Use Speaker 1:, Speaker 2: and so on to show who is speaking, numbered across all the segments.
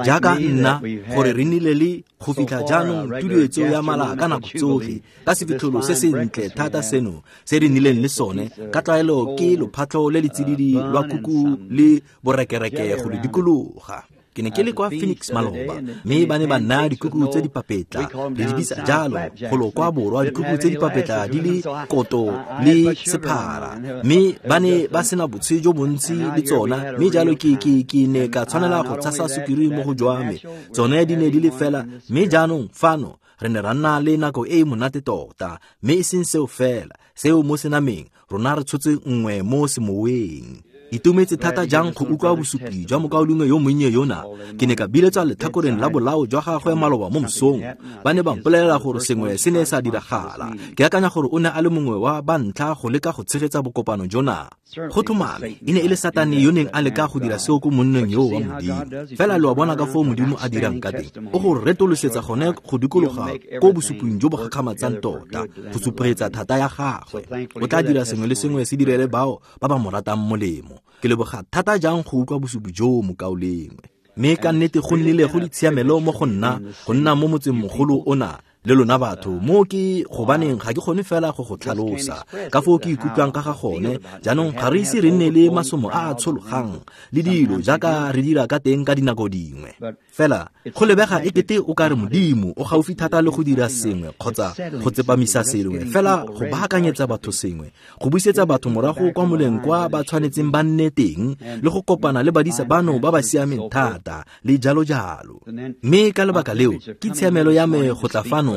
Speaker 1: Jaaka nna, gore re nnile le go fitlha jaanong tuduetso ya mala ka nako tsotlhe, ka sefitlholo se sentle thata seno se re nnileng le sone, ka tlwaelo ke lophatlho le le tsididi lwa kuku le borekereke go le dikologa. Ke ne ke le kwa Phoenix maloba, mme ba ne ba nna dikuku tse di papetla, re di bitsa jalo, golo kwa borwa, dikuku tse di papetla di le koto le sephara, mme ba ne ba sena botshe jo bontsi le tsona, mme jalo ke ne ka tshwanela go tshasa sukiri mo go jwa me. Tsone di ne di le fela, mme jaanong fano re ne ra nna le nako e e monate tota, mme e seng seo fela, seo mo senameng, rona re tshotse nngwe mo semoweng. Itumetse thata jang go utlwa bosupi jwa mokaulengwe yo monnye yona. Ke ne ka biletswa letlhakoreng la bolao jwa gagwe maloba mo mosong. Ba ne ba mpolelela gore sengwe se ne sa diragala. Ke akanya gore o ne a le mongwe wa ba ntlha go leka go tshegetsa bokopano jona. Go tlhomame, e ne e le Satane yo neng a leka go dira seo ko monneng yo wa Modimo. Fela lo a bona ka foo Modimo a dirang ka teng. O go retolosetsa gone go dikologa ko bosuping jo bo gakgamatsang tota, go supegetsa thata ya gagwe. O tla dira sengwe le sengwe se direle bao ba ba mo ratang molemo. Ke leboga thata jang go utlwa bosupi jo mokaulengwe. Mme ka nnete go nnile go ditshiamelo mo go nna, go nna mo motseng mogolo ona le lona batho. Mo ke gobaneng ga ke kgone fela go go tlhalosa ka foo ke ikutlwang ka ga gone. Jaanong ga re ise re nne le masomo a a tshologang le dilo jaaka re dira ka teng ka dinako dingwe. Fela go lebega e kete o ka re Modimo o gaufi thata le go dira sengwe kgotsa go tsepamisa sengwe, fela go baakanyetsa batho sengwe, go busetsa batho morago kwa moleng kwa ba tshwanetseng ba nne teng, le go kopana le badisa bano ba ba siameng thata le jalo jalo. Mme ka lebaka leo ke tshiamelo ya me go tla fano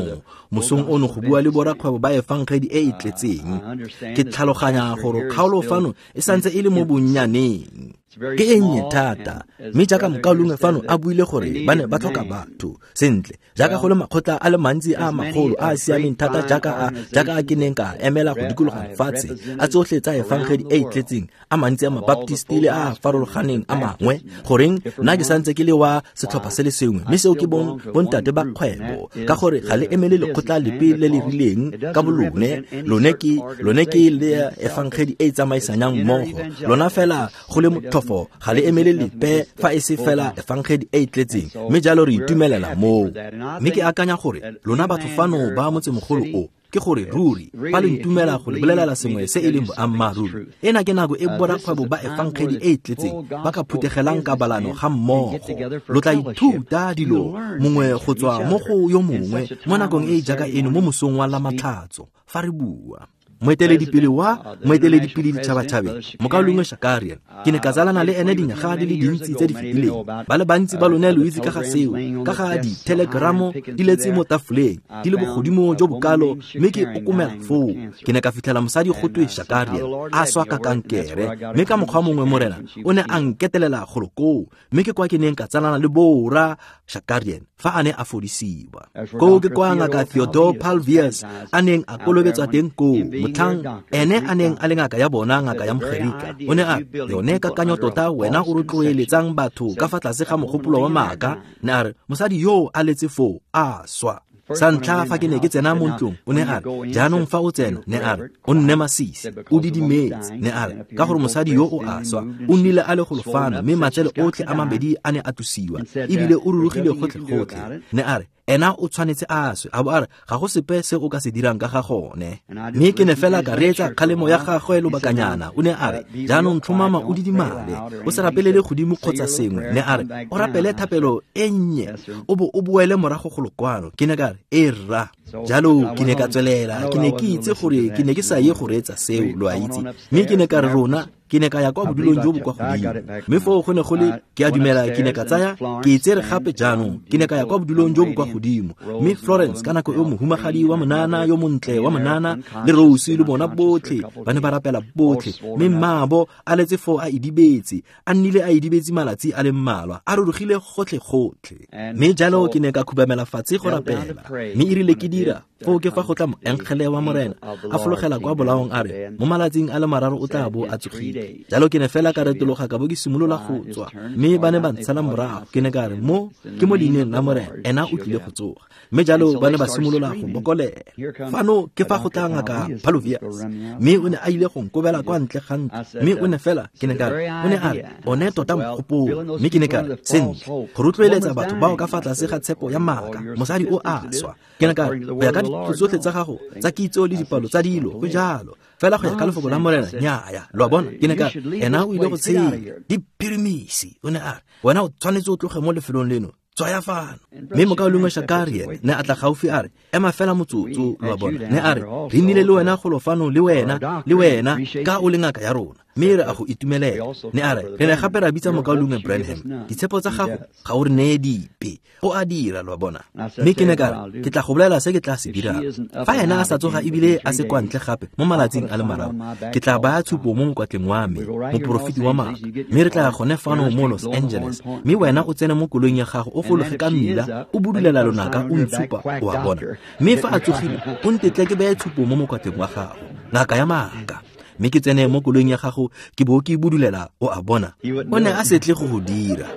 Speaker 1: mosong ono go bua le borakgwebo ba efangedi e e tletseng. Ke tlhaloganya gore kgaolo fano e santse e le mo bonnyaneng, ke e nnye thata, mme jaaka mokaulengwe fano a buile gore ba ne ba tlhoka batho sentle, jaaka go le makgotla a le mantsi a magolo a a siameng thata jaaka a ke neng ka emela go dikologa lefatshe, a tsotlhe tsa efangedi e e tletseng, a mantsi a mabaptisti le a farologaneng a mangwe, goreng nna ke santse ke le wa setlhopha se le sengwe, mme seo ke bontate ba kgwebo, ka gore ga le emele lekgotla lepe le le rileng ka bolone, lone ke le efangedi e e tsamaisanyang mmogo, lona fela go le motlhofo ga le emele lepe fa e se fela efangedi e e tletseng, mme jalo re itumelela moo. Mme ke akanya gore lona batho fano ba motsemogolo o, ke gore ruri fa le ntumela go le bolelela sengwe se e leng boammaaruri, ena ke nako e borakgwebo ba efangedi e e tletseng ba ka phutegelang kabalano ga mmogo. Lo tla ithuta dilo mongwe go tswa mo go yo mongwe mo nakong e e jaaka eno mo mosong wa Lamatlhatso fa re bua. Moeteledipele wa moeteledipele ditšhabatšhabeng mokaulengwe Shakarian, ke ne ka tsalana le ene dinyaga di le dintsi tse di fetileng. Ba le bantsi ba lone lo itse ka ga seo, ka ga dithelegramo di letse mo tafoleng di le bogodimo jo bokalo, mme ke okomela foo. Ke ne ka fitlhela mosadi go twe Shakarian a swa ka kankere, mme ka mokgwa mongwe Morena o ne a nketelela golo koo, mme ke kwa ke neng ka tsalana le boora Shakarian fa a ne a fodisiwa. Koo ke kwa ngaka Theodore Palviers a neng a kolobetswa teng koo, motlhang ene a neng a le ngaka ya bona, ngaka ya Mogerika. O ne a yone kakanyo tota wena o rotloeletsang batho ka fa tlase ga mogopolo wa maaka, ne a re mosadi yo a letse foo a swa. Sa ntlha fa ke ne ke tsena mo ntlong, o ne a re, jaanong fa o tsena, ne a re, o nne masisi, o didimetse, ne a re, ka gore mosadi yo o a swa, o nnile a le golo fano, mme matsele otlhe a mabedi a ne a tlosiwa, ebile o rurugile gotlhe-gotlhe. Ne a re, ena o tshwanetse a swe, a bo a re, ga go sepe se o ka se dirang ka ga gone. Mme ke ne fela ka reetsa kgalemo ya gagwe lobakanyana. O ne a re, jaanong tlhomama o didimale, o se rapelele godimo kgotsa sengwe. Ne a re, o rapele thapelo e nnye, o bo o boele morago golo kwano. Ke ne ka re, e rra. Jalo ke ne ka tswelela, ke ne ke itse gore ke ne ke sa ye go reetsa seo, lo a itse. Mme ke ne ka re rona, ke ne ka ya kwa bodulong jo bo kwa godimo. Mme foo go ne go le, ke a dumela ke ne ka tsaya, ke e tsere gape jaanong, ke ne ka ya kwa bodulong jo bo kwa godimo. Mme Florence ka nako eo mohumagadi wa monana yo montle wa monana le Rose le bona botlhe ba ne ba rapela botlhe, mme mmaabo a letse foo a idibetse, a nnile a idibetse malatsi a le mmalwa, a rurugile gotlhe-gotlhe. Mme jalo ke ne ka khubamela fatshe go rapela, mme e rile ke dira foo ke fa go tla moengele wa Morena a fologela kwa bolaong a re, mo malatsing a le mararo o tla bo a tsogile. Jalo ke ne fela ka retologa ka bo ke simolola go tswa, mme ba ne ba ntshala morago. Ke ne ka re, mo ke mo leineng la Morena, ena o tlile go tsoga. Mme jalo ba ne ba simolola go bokolela. Fano ke fa go tla ngaka Palovias, mme o ne a ile go nkobela kwa ntle ga ntlo. Mme o ne fela, ke ne ka re, o ne a re, one tota mogopolo. Mme ke ne ka re, sentle, go rotloeletsa batho bao ka fa tlase ga tshepo ya maaka, mosadi o a swa. Ke ne ka re, go ya ka dithuto tsotlhe tsa gago tsa kitso le dipalo tsa dilo, go jalo. Fela go ya ka lefoko la Morena, nnyaya. Lo a bona? Ke ne ka re, ena o ile go tshela diphirimisi. O ne a re, wena o tshwanetse o tloge mo lefelong leno, tswaya fano. Mme mokaulengwe Shakarian ne a tla gaufi a re, ema fela motsotso, lo a bona. Ne a re, re nnile le wena golo fano le wena, le wena, ka o le ngaka ya rona, mme re a go itumelela. Ne a re, re ne gape ra bitsa mokaulengwe Branham, ditshepo tsa gago ga o re neye dipe. O a dira, lo a bona. Mme ke ne ka re, ke tla go bolela se ke tla se dirang. Fa ena a sa tsoga ebile a se kwa ntle gape mo malatsing a le mararo, ke tla baya tshupo mo mokwatleng wa me, moporofeti wa maaka. Mme re tla ya gone fano mo Los Angeles, mme wena o tsene mo koloing ya gago, o fologe ka mmila, o budulela lonaka, o ntshupa, o a bona. Mme fa a tsogile, o ntetle ke beye tshupo mo mokwatleng wa gago, ngaka ya maaka. Mme ke tsene mo koloing ya gago, ke bo ke budulela, o a bona. O ne a se tle go go dira.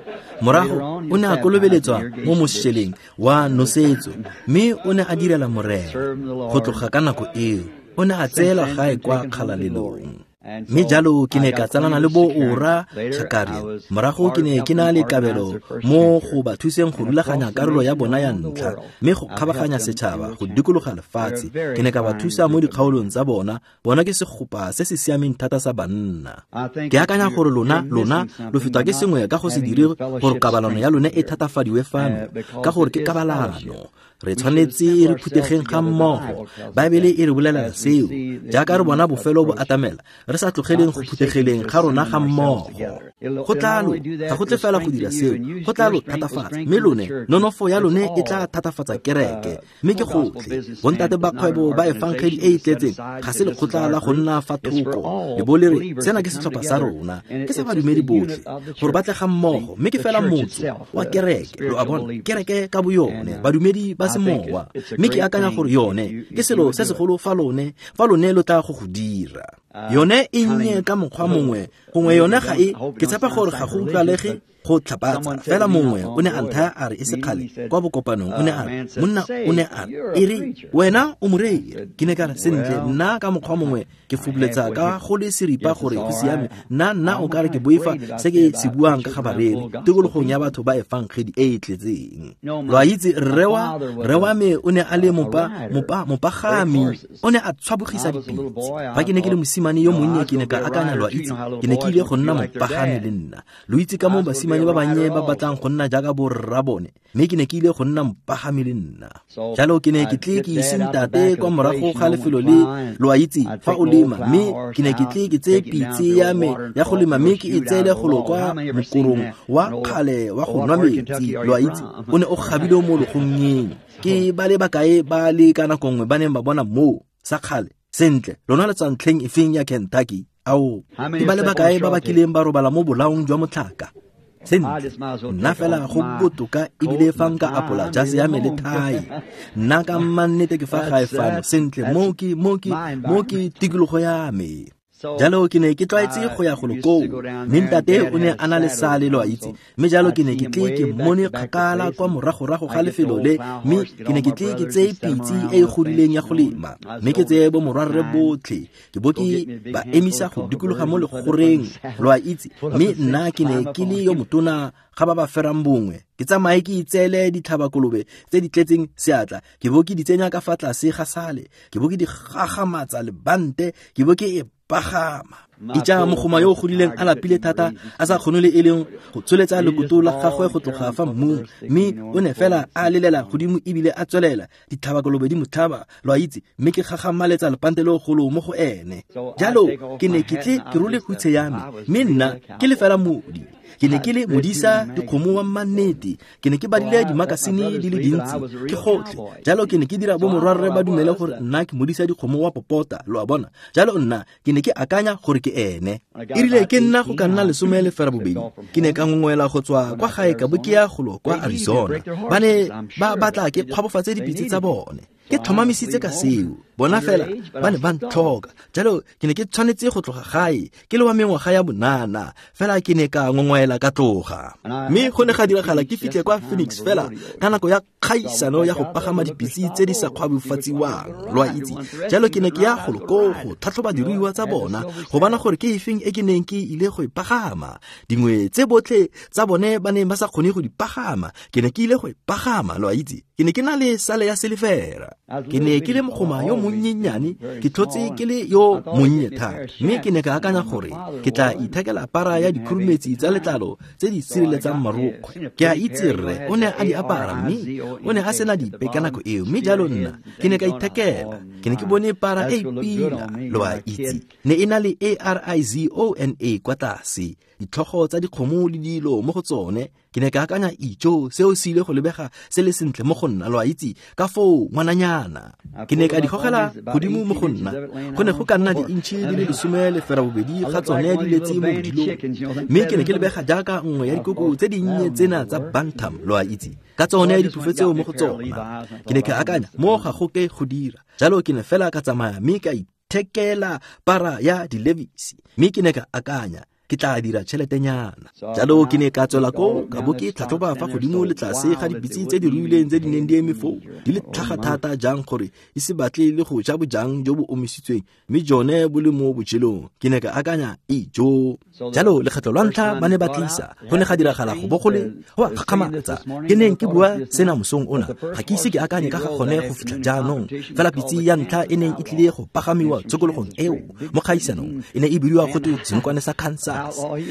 Speaker 1: Morago o ne a kolobeletswa mo mošeleng wa nosetso, mme o ne a direla Morena. Go tloga ka nako eo, o ne a tseelwa gae kwa kgalalelong. Mme jalo ke ne ka tsalana le bo Ora Shakarian. Morago ke ne ke na le kabelo mo go ba thuseng go rulaganya karolo ya bona ya ntlha, mme go kgabaganya setšhaba go dikologa lefatshe. Ke ne ka ba thusa mo dikgaolong tsa bona. Bona ke segopa se se siameng thata sa banna. Ke akanya gore lona lo fetwa ke sengwe ka go se dire gore kabalano ya lone e thatafadiwe fano, ka gore ke kabalano. Re tshwanetse re phutegeng ga mmogo. Baebele e re bolelela seo. Jaaka re bona bofelo bo atamela, re sa tlogeleng go phutegeleng ga rona ga mmogo. Go tla lo, ga go tle fela go dira seo, go tla lo thatafatsa. Mme lone, nonofo ya lone e tla thatafatsa kereke. Mme ke gotlhe, bontate ba kgwebo ba efangedi e e tletseng ga se lekgotla la go nna fa thoko. Le bo le re, sena ke setlhopha sa rona, ke sa badumedi botlhe, gore ba tle ga mmogo. Mme ke fela motso wa kereke, lo a bona, kereke ka boyone, badumedi ba semowa. Mme ke akanya gore yone ke selo se segolo fa lone lo tla go go dira. Yone e nnye ka mokgwa mongwe, gongwe yone ga e, ke tshepa gore ga go utlwalege go tlhapatsa. Fela mongwe o ne a nthaya a re e sekgale kwa bokopanong, o ne a re, monna o ne a re, e re wena o morei. Ke ne ka re, sentle, nna ka mokgwa mongwe ke fobuletsa ka go le seripa gore go siame. Nna o ka re ke boifa se ke se buang ka ga bareri tikologong ya batho ba efangedi e e tletseng. Lo a itse, rre wa me o ne a le mopagami, o ne a tshwabogisa dipitse. Fa ke ne ke le mosimane yo monnye, ke ne ka akanya, lo a itse, ke ne ke ile go nna mopagami le nna. Lo itse ka moo basimane ba bannye ba batlang go nna jaaka borra bone, mme ke ne ke ile go nna mopagami le nna. Jalo ke ne ke tle ke ise ntate kwa morago ga lefelo le, lo a itse, fa o lema, mme ke ne ke tle ke tseye pitse ya me ya go lema, mme ke e tseele golo kwa mokorong wa kgale wa go nwa metsi, lo a itse, o ne o gabile mo logongeng. Ke ba le bakae ba le ka nako nngwe ba neng ba bona moo sa kgale? Sentle, lona le tswa ntlheng efeng ya Kentucky? Ao, ke ba le bakae ba ba kileng ba robala mo bolaong jwa motlhaka? Sentle, nna fela go botoka ebile fa nka apola jase ya me le thai. Nna ka mmannete ke fa gae fano. Sentle, mo ke tikologo ya me. Jalo ke ne ke tlwaetse go ya golo koo, mme ntate o ne a na le sale, lo a itse. Mme jalo ke ne ke tle ke mmone kgakala kwa moragorago ga lefelo le, mme ke ne ke tle ke tseye pitse e e godileng ya go lema, mme ke tseye bo morwarre botlhe, ke bo ke ba emisa go dikologa mo legoreng, lo a itse. Mme nna ke ne ke le yo motona ga ba ba ferang bongwe, ke tsamaye ke itseele ditlhabakolobe tse di tletseng seatla, ke bo ke di tsenya ka fa tlase ga sale, ke bo ke di gagamatsa lebante, ke bo ke e pagama. Itja mogoma yo o godileng a lapile thata, a sa kgone le e leng go tsholetsa lekoto la gagwe go tloga fa mmung, mme o ne fela a lelela godimo ebile a tswelela, ditlhabakolobe di mo tlhaba, lo a itse, mme ke gagamaletsa lepante le golo mo go ene. Jalo ke ne ke tle ke role hutshe ya me, mme nna ke le fela modi. Ke ne ke le modisa dikgomo wa mmannete, ke ne ke badile dimakasine di le dintsi, ke gotlhe. Jalo ke ne ke dira bo morwarre ba dumele gore nna ke modisa dikgomo wa popota, lo a bona. Jalo nna ke ne ke akanya gore ke ene. Erile ke nna go ka nna 12, ke ne ka ngongwela go tswa kwa gae ka bo ke ya golo kwa Arizona. Ba ne ba batla ke kgwabofatse dipitse tsa bone. Ke tlhomamisitse ka seo. Bona fela ba ne ba ntlhoka. Jalo ke ne ke tshwanetse go tloga gae ke le wa mengwaga ya bonana, fela ke ne ka ngongwaela ka tloga. Mme go ne ga diragala ke fitlhe kwa Phoenix fela ka nako ya kgaisano ya go pagama dipitse tse di sa kgwabofatsiwang, lo a itse. Jalo ke ne ke ya golo koo go tlhatlhoba diruiwa tsa bona go bona gore ke efeng e ke neng ke ile go e pagama. Dingwe tse botlhe tsa bone ba neng ba sa kgone go di pagama, ke ne ke ile go e pagama, lo a itse. Ke ne ke na le sale ya selefera. Ke ne ke le mogoma yo monnyenyane, ke tlhotse ke le yo monnye thata, mme ke ne ka akanya gore ke tla ithekela para ya dikhurumetsi tsa letlalo tse di sireletsang marokgwe. Ke a itse rre o ne a di apara, mme o ne a sena dipe ka nako eo, mme jalo nna ke ne ka ithekela. Ke ne ke bone para e pila, lo a itse, ne e na le ARIZONA kwa tlase, ditlhogo tsa dikgomo le dilo mo go tsone. Ke ne ka akanya, ijo, seo se ile go lebega se le sentle mo go nna, lo a itse, ka foo ngwananyana. Ke ne ka di gogela godimo mo go nna. Go ne go ka nna di-intšhi di le 18 ga tsone di letse mo bodilong, mme ke ne ke lebega jaaka nngwe ya dikoko tse dinnye tsena tsa bantam, lo a itse, ka tsone diphufo tseo mo go tsona. Ke ne ka akanya, mo ga go ke go dira. Jalo ke ne fela ka tsamaya mme ka ithekela para ya di-Levi's, mme ke ne ka akanya, ke tla dira tšheletenyana. Jalo ke ne ka tswela ko ka bo ke tlhatlhoba fa godimo le tlase ga dipitse tse di ruileng tse di neng di eme foo, di le tlhaga thata jang gore di se batle le go ja bojang jo bo omisitsweng, mme jone bo le mo bojelong. Ke ne ka akanya, ijo. Jalo lekgetlo lwa ntlha ba ne ba tlisa, go ne ga diragala go bo go le go a gakgamatsa. Ke neng ke bua sena mosong ona, ga ke ise ke akanye ka ga gone go fitlha jaanong. Fela pitse ya ntlha e neng e tlile go pagamiwa tshokologong eo mo kgaisanong e ne e bidiwa go twe senokwane sa Kansas,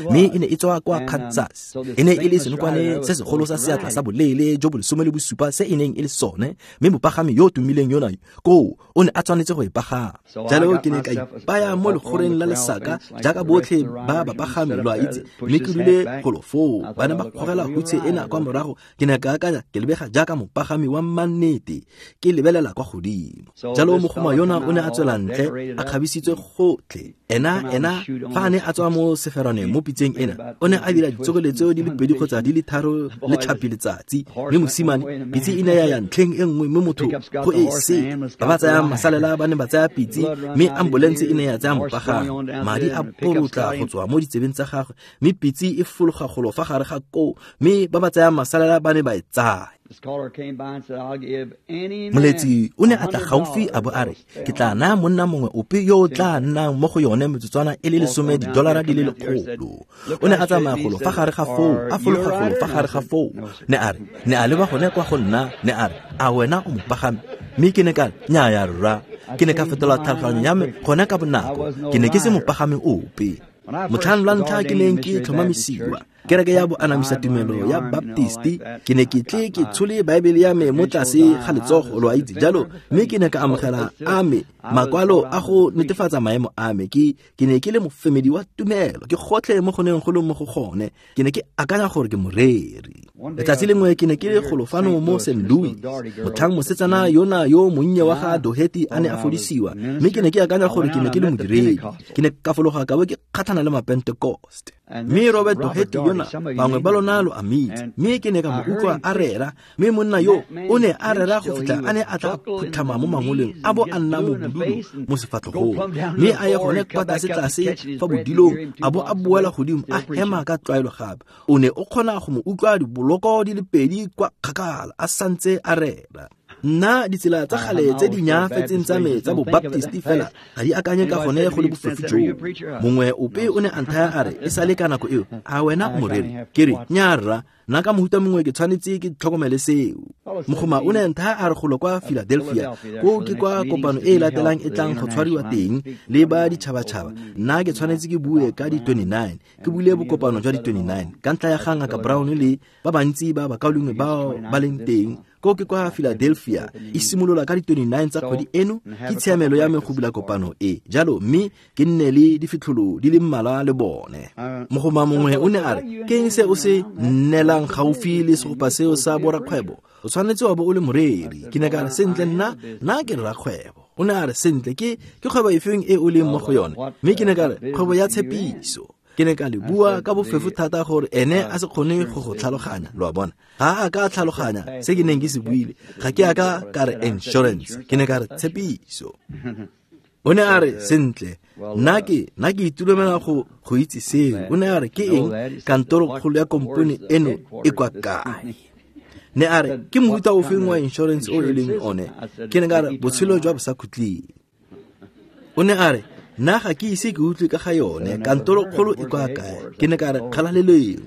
Speaker 1: mme e ne e tswa kwa Kansas. E ne e le senokwane se segolo sa seatla sa boleele jo bo 17 se e neng e le sone, mme mopagami yo o tumileng yona koo o ne a tshwanetse go e pagama. Jalo ke ne ka ipaya mo legoreng la lesaka jaaka botlhe ba bapagami, lo a itse, mme ke dule golo foo. Ba ne ba kgogela hutshe ena kwa morago. Ke ne ka akanya, ke lebega jaaka mopagami wa mannete, ke lebelela kwa godimo. Jalo mogoma yona o ne a tswela ntle a kgabisitswe gotlhe. Ena fa a ne a tswa mo seferwaneng mo pitseng ena, o ne a dira ditsokoletso di le 2 kgotsa di le 3 le tlhapi letsatsi, mme mosimane pitse e ne ya ya ntlheng e nngwe, mme motho go e se. Ba ba tsayang masalela ba ne ba tsaya pitse, mme ambulense e ne ya tsaya mopagami. Madi a porotla go tswa mo ditsebeng tsa gagwe, mme pitse e fologa golo fa gare ga koo, mme ba ba tsayang masalela ba ne ba e tsaya. Moletsi o ne a tla gaufi a bo a re, ke tla naya monna mongwe ope yo o tla nnang mo go yone metsotswana e le $10 di le 100. O ne a tsamaya golo fa gare ga foo, a fologa golo fa gare ga foo. Ne a re, ne a leba gone kwa go nna, ne a re, a wena o mopagami? Mme ke ne ka re, nnyaya rra. Ke ne ka fetola tlhaloganyo ya me gone ka bonako. Ke ne ke se mopagami ope. Motlhang lwa ntlha ke neng ke tlhomamisiwa kereke ya boanamisa tumelo ya Baptisti, ke ne ke tle ke tshole Baebele ya me mo tlase ga letsogo, lo a itse. Jalo mme ke ne ka amogela a me makwalo a go netefatsa maemo a me. Ke ne ke le mofemedi wa tumelo, ke gotlhe mo go neng go le mo go gone. Ke ne ke akanya gore ke moreri. Letsatsi lengwe ke ne ke le golo fano mo St. Louis, motlhang mosetsana yona yo monnye wa ga Doherty a ne a fodisiwa, mme ke ne ke akanya gore ke ne ke le modiredi. Ke ne ka fologa ka bo ke kgatlhana le Mapentecost, mme Robert Doherty yona bangwe ba lona lo a mitse, mme ke ne ka mo utlwa a rera. Mme monna yo o ne a rera go fitlha a ne a tla phutlhama mo mangoleng, a bo a nna mo bodulo mo sefatlhogong, mme a ye gone kwa tlase-tlase fa bodilong, a bo a boela godimo a hema ka tlwaelo gape. O ne o kgona go mo utlwa diboloko di le 2 kwa kgakala a santse a rera. Nna ditsela tsa gale tse di nyaafetseng tsa me tsa bobaptisti fela ga di akanye ka gone go le bofofu joo. Mongwe ope o ne a nthaya a re, e sale ka nako eo, a wena o moreri? Ke re, nnyaa rra, nna ka mohuta mongwe ke tshwanetse ke tlhokomele seo. Mogoma o ne a nthaya a re golo kwa Philadelphia, koo ke kwa kopano e e latelang e tlang go tshwariwa teng le ba ditšhabatšhaba. Nna ke tshwanetse ke bue ka di-29, ke bule bokopano jwa di-29 ka ntlha ya ga Ngaka Brown le ba bantsi ba bakaulengwe bao ba leng teng. Koo ke kwa Philadelphia, e simolola ka di-29 tsa kgwedi eno. Ke tshiamelo ya me go bula kopano e jalo, mme ke nne le difitlholo di le mmalwa le bone. Mogoma mongwe o ne a re, ke eng se o se nnelang gaufi le segopa seo sa borakgwebo? O tshwanetse wa bo o le moreri. Ke ne ka re, sentle nna ke rrakgwebo. O ne a re, sentle ke kgwebo efeng e o leng mo go yone? Mme ke ne ka re, kgwebo ya tshepiso. Ke ne ka le bua ka bofefo thata gore ene a se kgone go go tlhaloganya, lo a bona. Ga a ka tlhaloganya se ke neng ke se buile. Ga ke a ka ka re insurance, ke ne ka re tshepiso. O ne a re, sentle, nna ke itumela go itse seo. O ne a re, ke eng kantorokgolo ya kompone eno e kwa kae? Ne a re, ke mofuta ofeng wa insurance o e leng one? Ke ne ka re, botshelo jwa bosakhutleng. O ne a re, nna ga ke ise ke utlwe ka ga yone, kantorokgolo e kwa kae? Ke ne ka re, kgalaleleng.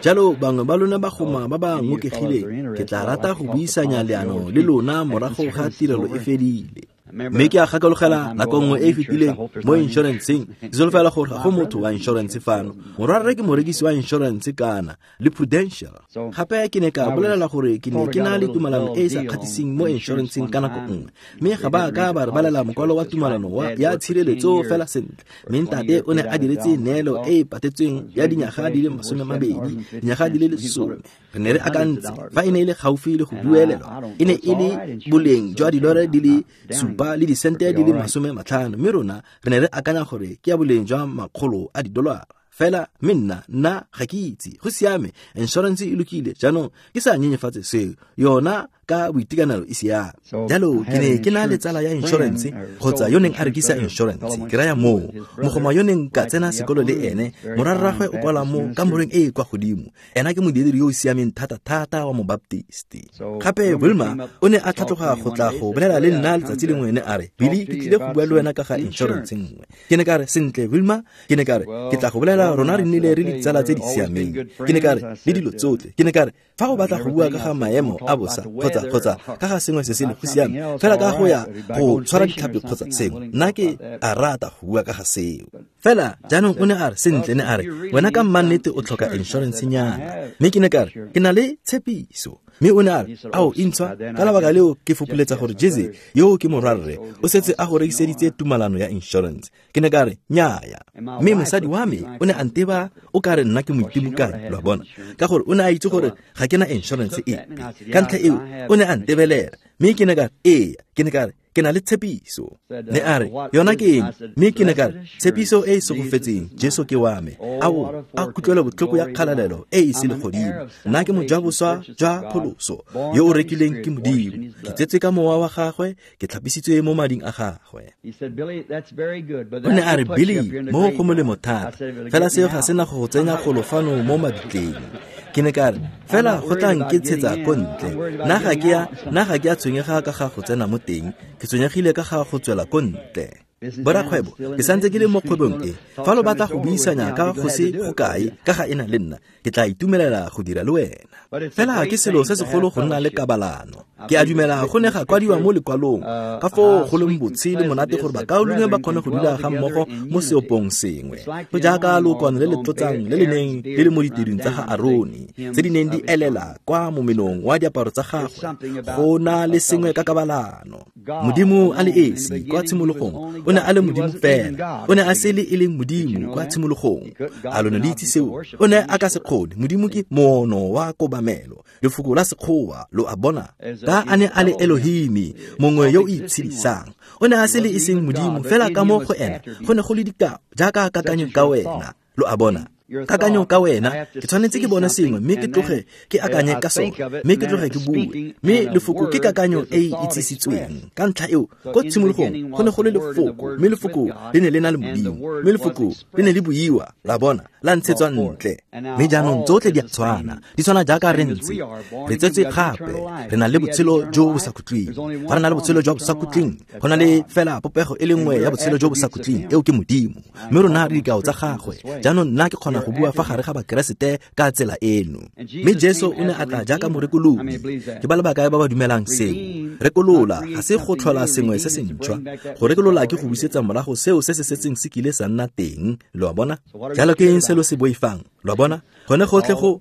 Speaker 1: Jalo bangwe ba lona bagoma ba ba ngokegileng, ke tla rata go buisanya leano le lona morago ga tirelo e fedile. Mme ke a gakologela nako nngwe e e fetileng mo insurance-eng, ke solofela gore ga go motho wa insurance fano. Morwarre ke morekisi wa insurance kana le Prudential. Gape ke ne ka bolelela gore ke ne ke na le tumalano e e sa kgatlhiseng mo insurance-eng ka nako nngwe, mme ga ba ka ba re balela mokwalo wa tumalano ya tshireletso fela sentle. Mme ntate o ne a diretse neelo e e patetsweng ya dinyaga di le 20, dinyaga di le 10. Re ne re akantse fa e ne e le gaufi le go duelelwa, e ne e le boleng jwa dilore di le 7 le disente di le 50, mme rona re ne re akanya gore ke ya boleng jwa $100. Fela mme nna ga ke itse, go siame, insurance e lokile, jaanong ke sa nyenyefatse seo, yona ka boitekanelo e siame. Jalo ke ne ke na le tsala ya insurance kgotsa yo neng a rekisa insurance, ke raya moo mogoma yo neng ka tsena sekolo le ene, morarragwe o kwala mo kamoreng e e kwa godimo. Ena ke modiredi yo o siameng thata-thata wa mobaptisti. Gape Wilma o ne a tlhatloga go tla go bolela le nna letsatsi lengwe, ne a re, Billy, ke tlile go bua le wena ka ga insurance nngwe. Ke ne ka re, sentle Wilma, ke ne ka re, ke tla go bolela, rona re nnile re ditsala tse di siameng. Ke ne ka re, le dilo tsotlhe. Ke ne ka re, fa o batla go bua ka ga maemo a bosa kgotsa ka ga sengwe se se le go siame, fela ka go ya go tshwara ditlhapi kgotsa sengwe, nna ke a rata go bua ka ga seo. Fela jaanong o ne a re, sentle, ne a re, wena ka mmannete o tlhoka insurance nyana. Mme ke ne ka re, ke na le tshepiso. Mme o ne a re, ao intshwa, ka lebaka leo ke fopoletsa gore Jesse yo ke morwarre o setse a go rekiseditse tumalano ya insurance. Ke ne ka re, nnyaya. Mme mosadi wa me o ne a nteba o ka re nna ke moitimokane, lo a bona, ka gore o ne a itse gore ga ke na insurance epe. Ka ntlha eo o ne a ntebelela, mme ke ne ka re, ee, ke ne ka re, ke na le tshepiso. Ne a re, yona ke eng? Mme ke ne ka re, tshepiso e e segofetseng, Jesu ke wa me. Ao, a kutlwelo botlhoko ya kgalalelo e e selegodimo. Nna ke mojaboswa jwa pholoso, yo o rekileng ke Modimo. Ke tsetswe ka mowa wa gagwe, ke tlhapisitswe mo mading a gagwe. O ne a re, Billy, mo go molemo thata, fela seo ga se na go go tsenya golo fano mo mabitleng. Ke ne ka re, fela go tla nketshetsa ko ntle. Nna ga ke a tshwenyega ka ga go tsena mo teng, ke tshwenyegile ka ga go tswela ko ntle. Borakgwebo, ke santse ke le mo kgwebong e. Fa lo batla go buisanya ka go se go kae ka ga ena le nna, ke tla itumelela go dira le wena. Fela ke selo se segolo go nna le kabalano. Ke a dumela go ne ga kwadiwa mo lekwalong ka foo go leng botshe le monate gore bakaulengwe ba kgone go dula ga mmogo mo seopong sengwe. Go jaaka lookwane le le tlotsang le le neng le le mo diteduing tsa ga Arone, tse di neng di elela kwa momenong wa diaparo tsa gagwe. Go na le sengwe ka kabalano. Modimo a le esi kwa tshimologong o ne a le Modimo fela, o ne a se le e leng Modimo kwa tshimologong. A lo ne le itse seo? O ne a ka se kgone. Modimo ke moono wa kobamelo, lefoko la sekgowa, lo a bona. Ka a ne a le Elohimi, mongwe yo o itshedisang, o ne a se le e seng Modimo, fela ka mo go ena go ne go le dikao jaaka kakanyo ka wena, lo a bona. Kakanyo ka wena, ke tshwanetse ke bone sengwe mme ke tloge ke akanye ka sone, mme ke tloge ke bue. Mme lefoko ke kakanyo e e itsisitsweng. Ka ntlha eo, ko tshimologong go ne go le lefoko, mme lefoko le ne le na le Modimo, mme lefoko le ne le buiwa, la bona, la ntshetswa ntle. Mme jaanong tsotlhe di a tshwana, di tshwana jaaka re ntse. Re tsetswe gape, re na le botshelo jo bo sa khutleng. Fa re na le botshelo jwa bo sa khutleng, go na le fela popego e le nngwe ya botshelo jo bo sa khutleng, eo ke Modimo. Mme rona re dikao tsa gagwe. Jaanong nna ke kgona go bua fa gare ga Bakeresete ka tsela eno. Mme Jesu o ne a tla jaaka morekolodi. Ke ba le bakae ba ba dumelang seo? Rekolola ga se go tlhola sengwe se se ntšhwa. Go rekolola ke go busetsa morago seo se se setseng se kile sa nna teng, lo a bona. Jalo ke eng se lo se boifang, lo a bona? Gone gotlhe go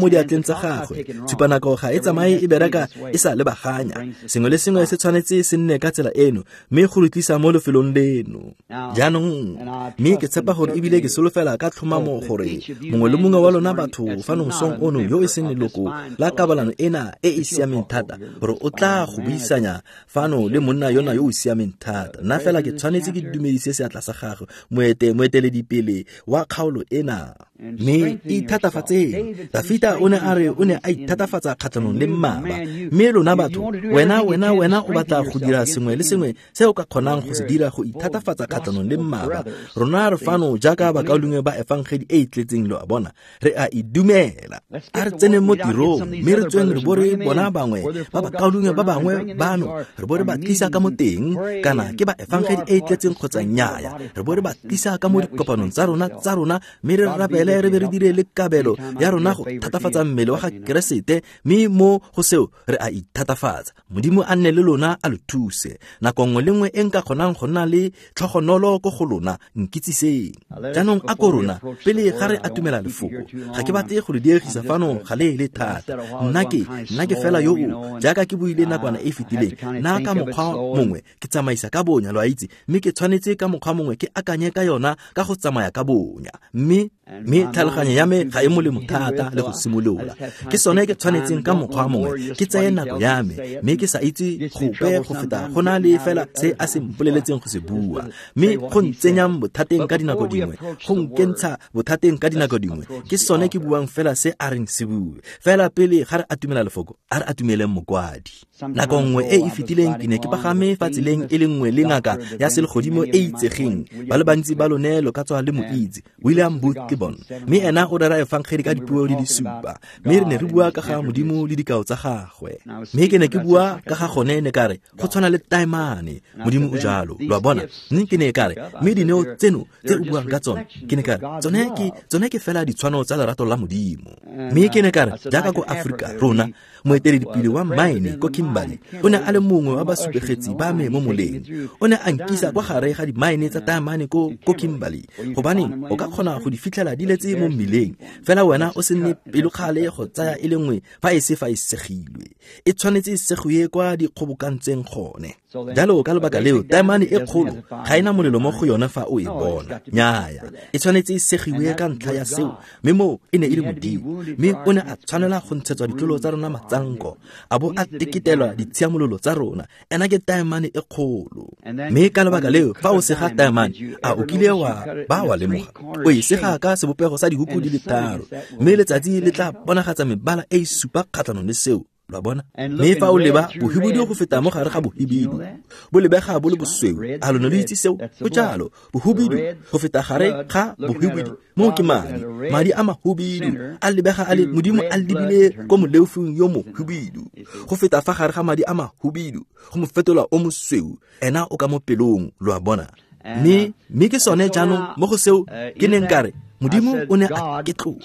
Speaker 1: mo diatleng tsa gagwe. Tshupanako ga e tsamaye e bereka e sa lebaganya. Sengwe le sengwe se tshwanetse se nne ka tsela eno, mme go re tlisa mo lefelong leno. Jaanong, mme ke tshepa gore ebile ke solofela ka tlhomamo gore mongwe le mongwe wa lona batho fano mosong ono yo e seng leloko la kabalano ena e e siameng thata, gore o tla fela go buisanya fano le monna yona yo o siameng thata. Nna fela ke tshwanetse ke dumedise seatla sa gagwe, moeteledipele wa kgaolo ena. Mme ithatafatseng. Dafita o ne a re o ne a ithatafatsa kgatlhanong le mmaba. Mme lona batho, wena o batla go dira sengwe le sengwe se o ka kgonang go se dira go ithatafatsa kgatlhanong le mmaba. Rona re fano jaaka bakaulengwe ba efangedi e e tletseng, lo a bona. Re a e dumela. A re tseneng mo tirong, mme re tsweng re bo re bona bangwe ba bakaulengwe ba bangwe bano, re bo re ba tlisa ka mo teng, kana ke ba efangedi e e tletseng kgotsa nnyaya. Re bo re ba tlisa ka mo dikopanong tsa rona, mme re rapele re be re dire le kabelo ya rona go thatafatsa mmele wa ga Keresete, mme mo go seo re a ithatafatsa. Modimo a nne le lona, a lo thuse. Nako nngwe le nngwe e nka kgonang go nna le tlhogonolo ko go lona, nkitsiseng. Jaanong a ko rona, pele ga re atumela lefoko, ga ke batle go le diegisa fano ga le le thata. Nna ke fela yo o, jaaka ke buile nakwana e fetileng, nna ka mokgwa mongwe ke tsamaisa ka bonya, lo a itse, mme ke tshwanetse ka mokgwa mongwe ke akanye ka yona ka go tsamaya ka bonya. Mme tlhaloganyo ya me ga e molemo thata le go simolola. Ke sone ke tshwanetseng ka mokgwa mongwe ke tseye nako ya me, mme ke sa itse gope go feta go na le fela se a se mpoleletseng go se bua. Mme go ntsenyang bothateng ka dinako dingwe, go nkentsha bothateng ka dinako dingwe, ke sone ke buang fela se a reng se bue. Fela pele ga re atumela lefoko, a re atumeleng mokwadi. Nako nngwe e e fetileng ke ne ke pagame fa tseleng e le nngwe le ngaka ya selegodimo e itsegeng. Ba le bantsi ba lone lo ka tswa le mo itse, William Booth Gibbon. Mme ena o rera efangedi ka dipuo di le supa. Mme re ne re bua ka ga Modimo le dikao tsa gagwe. Mme ke ne ke bua ka ga gone, ne ka re go tshwana le taemane, Modimo o jalo, lo a bona. Mme ke ne ka re, mme dineo tseno tse o buang ka tsone, ke ne ka re tsone ke fela ditshwano tsa lerato la Modimo. Mme ke ne ka re jaaka ko Afrika rona, moeteledipele wa mine ko Kimberley o ne a le mongwe wa basupegetsi ba me mo moleng. O ne a nkisa kwa gare ga dimaene tsa taemane ko Kimberley, gobaneng o ka kgona go di fitlhela di letse mo mmileng, fela wena o se nne pelokgale go tsaya e le nngwe fa e se fa e segilwe. E tshwanetse e segiwe kwa di kgobokantseng gone. Jalo ka lebaka leo taemane e kgolo ga ena molelo mo go yone fa o e bona. Nnyaya, e tshwanetse e segiwe ka ntlha ya seo, mme moo e ne e le Modimo. Mme o ne a tshwanela go ntshetswa ditlolo tsa rona matsanko, a bo a teketelwa ditshiamololo tsa rona. Ena ke taemane e kgolo. Mme ka lebaka leo fa o sega taemane, a o kile wa ba wa lemoga, o e sega ka sebopego sa dihuku di le tharo, mme letsatsi le tla bonagatsa mebala e e supa kgatlhanong le seo. Lo a bona? Mme fa o leba bohibidu go feta mo gare ga bohibidu, bo lebega bo le bosweu. A lone lo itse seo? Go jalo, bohibidu go feta gare ga bohibidu, moo ke madi. Madi a mahubidu a lebega a le Modimo a lebile ko moleofing yo mohubidu, go feta fa gare ga madi a mahubidu, go mo fetola o mosweu. Ena o ka mo pelong, lo a bona. Mme ke sone jaanong mo go seo ke neng ka re Modimo o ne a ketloga,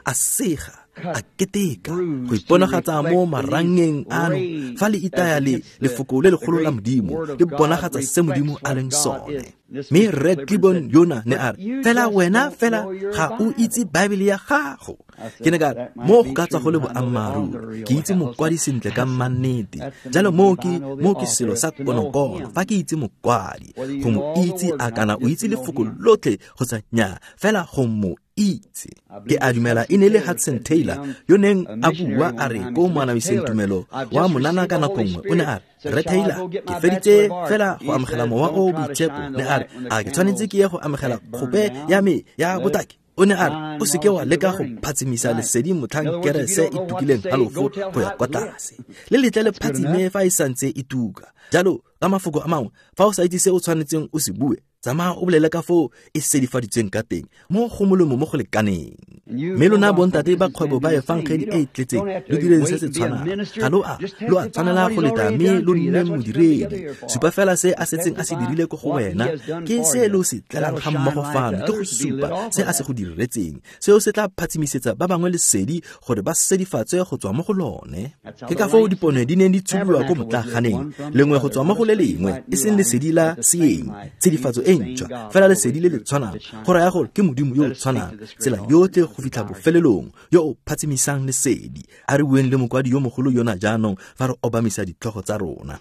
Speaker 1: a sega, a keteka go iponagatsa mo marangeng ano fa le itaya le lefoko le legolo la Modimo le bonagatsa se Modimo a leng sone. Mme Rre Gibbon yona ne a re, fela wena fela ga o itse Baebele ya gago. Ke ne ka re, mo go ka tswa go le boammaaruri, ke itse mokwadi sentle ka mannete. Jalo mo ke selo sa konokono, fa ke itse mokwadi, go mo itse a kana o itse lefoko lotlhe kgotsa nnyaa, fela go mo itse. Ke a dumela e ne le Hudson Taylor yo neng a bua a re ko moanamiseng tumelo wa monana ka nako nngwe, o ne a re, Rre Taylor, ke feditse fela go amogela mowa o boitshepo. Ne a re, a ke tshwanetse ke ye go amogela kgope ya me ya botaki? O ne a re, o seke wa leka go phatsimisa lesedi motlhang kerese e tukileng halofo go ya kwa tlase. Le letle le phatsime fa e santse e tuka. Jalo, ka mafoko a mangwe, fa o sa itse se o tshwanetseng o se bue, tsamaya o bolele ka foo e sedifaditsweng ka teng, mo go molemo mo go lekaneng. Mme lona bontate ba kgwebo ba efangedi e e tletseng, lo direng se se tshwanang. Ga lo a tshwanela go leta mme lo nne modiredi. Supa fela se a setseng a se dirile ko go wena, ke se lo se tlelang ga mmogo fano, ke go supa se a se go diretseng. Seo se tla phatsimisetsa ba bangwe lesedi gore ba sedifatswe go tswa mo go lone. Ke ka foo dipone di neng di tshubiwa ko motlaganeng, lengwe go tswa mo go le lengwe, e seng lesedi la seeng, tshedifatso e ntšhwa, fela lesedi le le tshwanang. Go raya gore ke Modimo yo o tshwanang tsela yotlhe go fitlha bofelelong, yo o phatsimisang lesedi. A re bueng le mokwadi yo mogolo yona jaanong fa re obamisa ditlhogo tsa rona.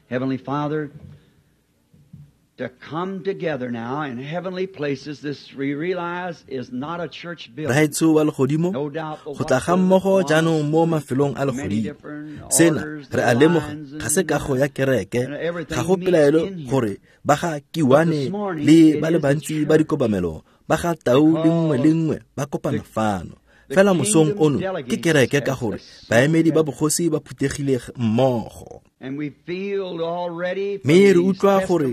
Speaker 2: Heavenly Father,
Speaker 1: Raetsho wa legodimo, go tla ga mmogo jaanong mo mafelong a legodimo. Sena re a lemoga ga se kago ya kereke, ga go pelaelo gore ba ga Kiwane le ba le bantsi ba dikobamelo ba ga Tau le nngwe le nngwe ba kopana fano. Fela mosong ono ke kereke ka gore baemedi ba bogosi ba phuthegile mmogo. Mme re utlwa gore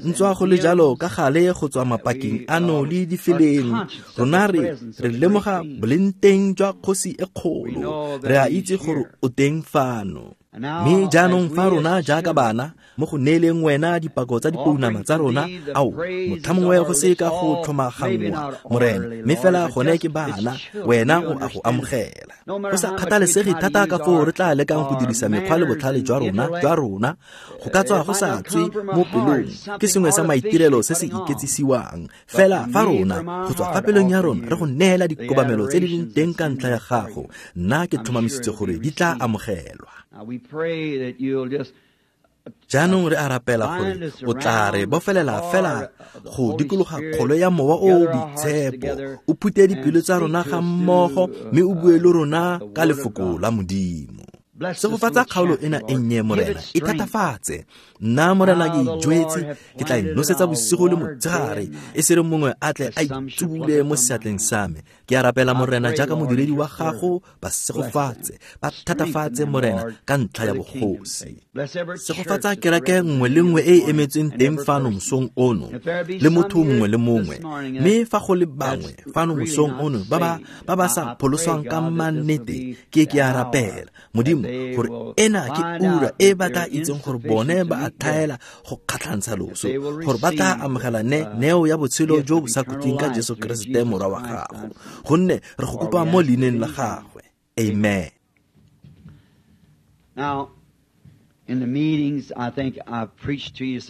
Speaker 1: ntswa go le jalo ka gale go tswa mapakeng ano le difeleng, rona re lemoga bolengteng jwa kgosi e kgolo, re a itse gore o teng fano. Mme jaanong fa rona jaaka bana mo go neeleng wena dipako tsa dipounama tsa rona, ao motlhamongwe go se ka go tlhomaganngwa Morena, mme fela gone ke bana, wena o a go amogela. Go sa kgathalesege thata ka foo re tla lekang go dirisa mekgwa le botlhale jwa rona, go ka tswa go sa tswe mo pelong, ke sengwe sa maitirelo se se iketsisiwang. Fela fa rona go tswa fa pelong ya rona re go neela dikobamelo tse di leng teng ka ntlha ya gago, nna ke tlhomamisitse gore di tla amogelwa. Jaanong re a rapela gore o tla re bofelela fela go dikologa kgolo ya mowa o o boitshepo, o phute dipelo tsa rona ga mmogo mme o bue le rona ka lefoko la Modimo. Segofatsa kgaolo ena e nnye, Morena, e thatafatse. Nna Morena ke ijwetse, ke tla e nosetsa bosigo le motshegare, e se re mongwe a tle a itsubule mo seatleng sa me. Ke a rapela Morena jaaka modiredi wa gago, ba segofatse, ba thatafatse Morena ka ntlha ya bogosi. Segofatsa kereke nngwe le nngwe e e emetsweng teng fano mosong ono, le motho mongwe le mongwe. Mme fa go le bangwe fano mosong ono ba ba sa pholoswang ka mannete, ke a rapela Modimo gore ena ke ura e ba tla itseng gore bone ba a thaela go kgatlhantsha loso, gore ba tla amogela neo ya botshelo jo bo sa khutleng ka Jesu Keresete morwa wa gago, gonne re go kopa mo leineng la gagwe. Amen.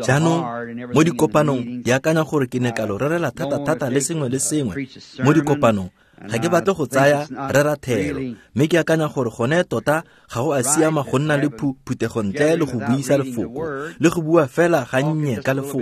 Speaker 1: Jaanong mo dikopanong ke akanya gore ke ne ka lo rerela thata-thata le sengwe le sengwe mo dikopanong. Ga ke batle go tsaya rera thero, mme ke akanya gore gone tota ga go a siama go nna le phuthego ntle le go buisa lefoko le go bua fela gannye ka lefoko.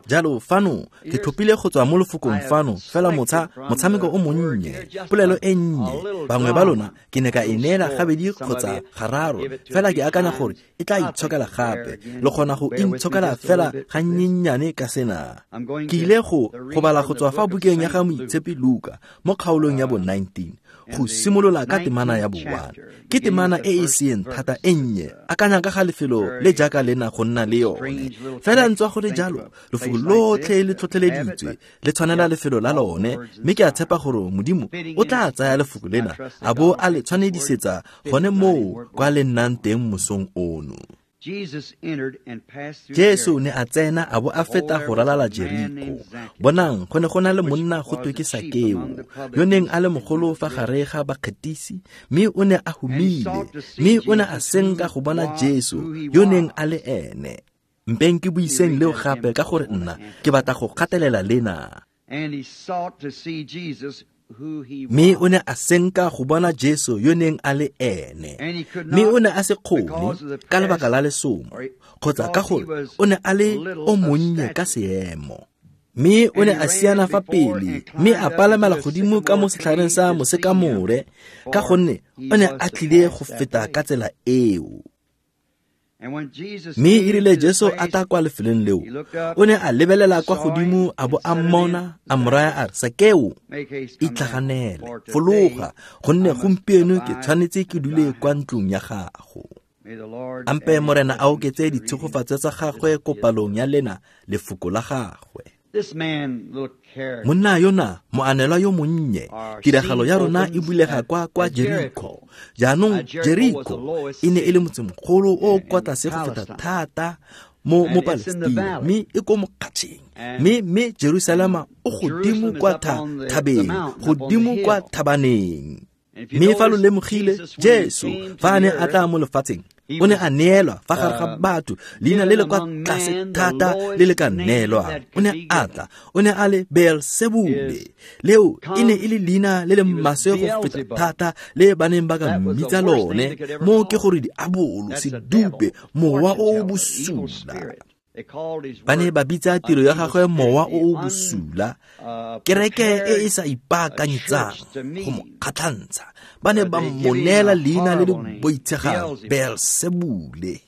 Speaker 1: Jalo fano ke tlhophile go tswa mo lefokong fano fela motshameko o monnye, polelo e nnye. Bangwe ba lona ke ne ka e neela gabedi kgotsa gararo, fela ke akanya gore e tla itshokela gape, le kgona go intshokela fela gannyennyane ka sena. Ke ile go bala go tswa fa bukeng ya ga Moitshepi Luka mo kgaolong ya bo 19, go simolola ka temana ya bo 1. Ke temana e e seeng thata e nnye, akanya ka ga lefelo le jaaka lena go nna le yone. Fela ntswa go le jalo, lefoko lotlhe le tlhotlheleditswe, le tshwanela lefelo la lone, mme ke a tshepa gore Modimo o tla tsaya lefoko lena a bo a le tshwanedisetsa gone moo kwa le nnang teng mosong ono. Jesu ne a tsena a bo a feta go ralala Jeriko. Bonang, go ne go na le monna go twe ke Sakeo, yo neng a le mogolo fa gare ga bakgetisi, mme o ne a humile, mme o ne a senka go bona Jesu yo neng a le ene. Mpeng ke buiseng leo gape ka gore nna ke batla go gatelela lena. Mme o ne a senka go bona Jesu yo neng a le ene, mme o ne a se kgone ka lebaka la lesomo, kgotsa ka gore o ne a le o monnye ka seemo. Mme o ne a siana fa pele, mme a palamela godimo ka mo setlhareng sa mosekamore, ka gonne o ne a tlile go feta ka tsela eo. Mme e rile Jesu a tla kwa lefelong leo, o ne a lebelela kwa godimo a bo a mmona, a mo raya a re, Sakeo, itlhaganele, fologa, gonne gompieno ke tshwanetse ke dule kwa ntlong ya gago. Ampe Morena a oketse ditshegofatso tsa gagwe ko palong ya lena lefoko la gagwe. Monna yona, moanelwa yo monnye, tiragalo ya rona e bulega kwa Jeriko. Jaanong Jeriko e ne e le motsemogolo o kwa tlase go feta thata mo Palestina, mme e ko mokgatšheng. Mme Jerusalema o godimo kwa thabeng, godimo kwa thabaneng. Mme fa lo lemogile, Jesu fa a ne a tla mo lefatsheng, o ne a neelwa fa gare ga batho leina le le kwa tlase thata le le ka neelwang. O ne a tla, o ne a le Beelsebule. Leo e ne e le leina le le maswe go feta thata le ba neng ba ka mmitsa lone, mo ke gore diabolo, sedupe, mowa o o bosula. Ba ne ba bitsa tiro ya gagwe mowa o o bosula, kereke e e sa ipaakanyetsang go mo kgatlhantsha. Ba ne ba mo neela leina le le boitshegang, Beelsebule.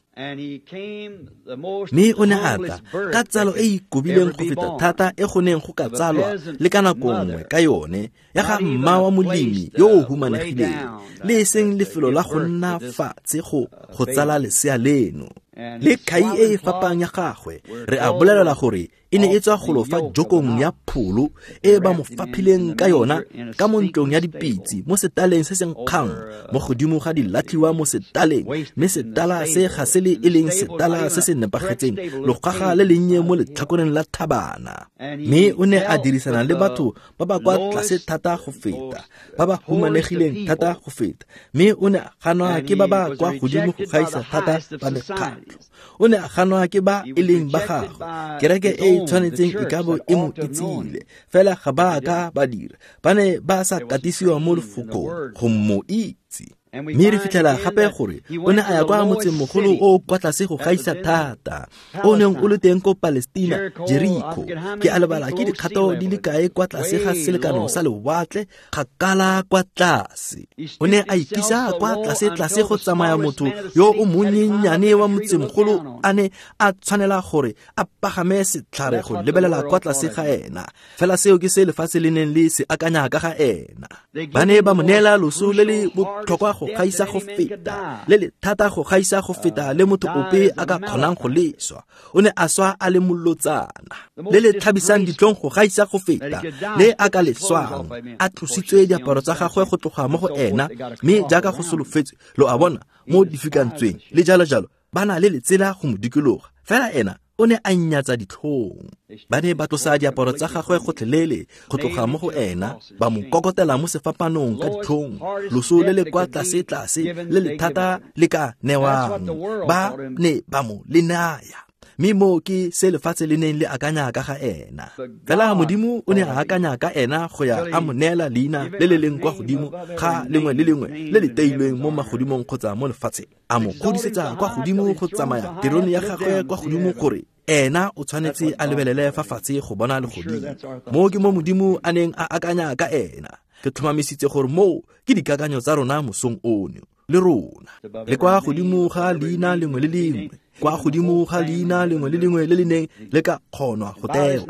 Speaker 1: Mme o ne a tla ka tsalo e e ikobileng go feta thata e go neng go ka tsalwa le ka nako nngwe ka yone, ya ga mma wa molemi yo o humanegileng, le e seng lefelo la go nna fatshe go tsala lesea leno. Le khai e e fapang ya gagwe, re a bolelela gore e ne e tswa golo fa jokong ya pholo e ba mo faphileng ka yona ka mo ntlong ya dipitse mo setaleng se se nkgang mo godimo ga dilatlhiwa mo setaleng, mme setala se ga se le e leng setala se se nepagetseng, logaga le lennye mo letlhakoreng la thabana. Mme o ne a dirisana le batho ba ba kwa tlase thata go feta, ba ba humanegileng thata go feta, mme o ne a ganwa ke ba ba kwa godimo go gaisa thata ba mekgatlho. O ne a ganwa ke ba e leng ba gagwe, kereke e e tshwanetseng e ka bo e mo itsile, fela ga ba ka ba dira. Ba ne ba sa katisiwa mo lefokong go mo itse. Mme re fitlhela gape gore o ne a ya kwa motsemogolo o kwa tlase go gaisa thata, o neng o le teng ko Palestina, Jeriko. Ke a lebala ke dikgato di le kae kwa tlase ga selekano sa lewatle, kgakala kwa tlase. O ne a ikisa kwa tlase-tlase go tsamaya motho yo o monyenyane wa motsemogolo a ne a tshwanela gore a pagame setlhare go lebelela kwa tlase ga ena. Fela seo ke se lefatshe le neng le se akanya ka ga ena. Ba ne ba mo neela loso le le botlhokwa go gaisa go feta, le le thata go gaisa go feta le motho ope a ka kgonang go leswa. O ne a swa a le molotsana, le le tlhabisang ditlhong go gaisa go feta le a ka leswang, a tlositswe diaparo tsa gagwe go tloga mo go ena, mme jaaka go solofetswe, lo a bona, mo difikantsweng le jalo jalo, ba na le letsela go mo dikologa. Fela ena o ne a nnyatsa ditlhong. Ba ne ba tlosa diaparo tsa gagwe gotlhelele go tloga mo go ena, ba mo kokotela mo sefapanong ka ditlhong, loso le le kwa tlase-tlase le le thata le ka newang, ba ne ba mo le naya. Mme moo ke se lefatshe le neng le akanya ka ga ena. Fela Modimo o ne a akanya ka ena go ya a mo neela leina le le leng kwa godimo ga lengwe le lengwe le le teilweng mo magodimong kgotsa mo lefatsheng, a mo godisetsa kwa godimo go tsamaya terone ya gagwe kwa godimo gore ena o tshwanetse a lebelele fa fatshe go bona legodimo. Moo ke mo Modimo a neng a akanya ka ena. Ke tlhomamisitse gore moo ke dikakanyo tsa rona mosong ono le rona. Le kwa godimo ga leina lengwe le lengwe, kwa godimo ga leina lengwe le lengwe le le neng le ka kgonwa go tewa,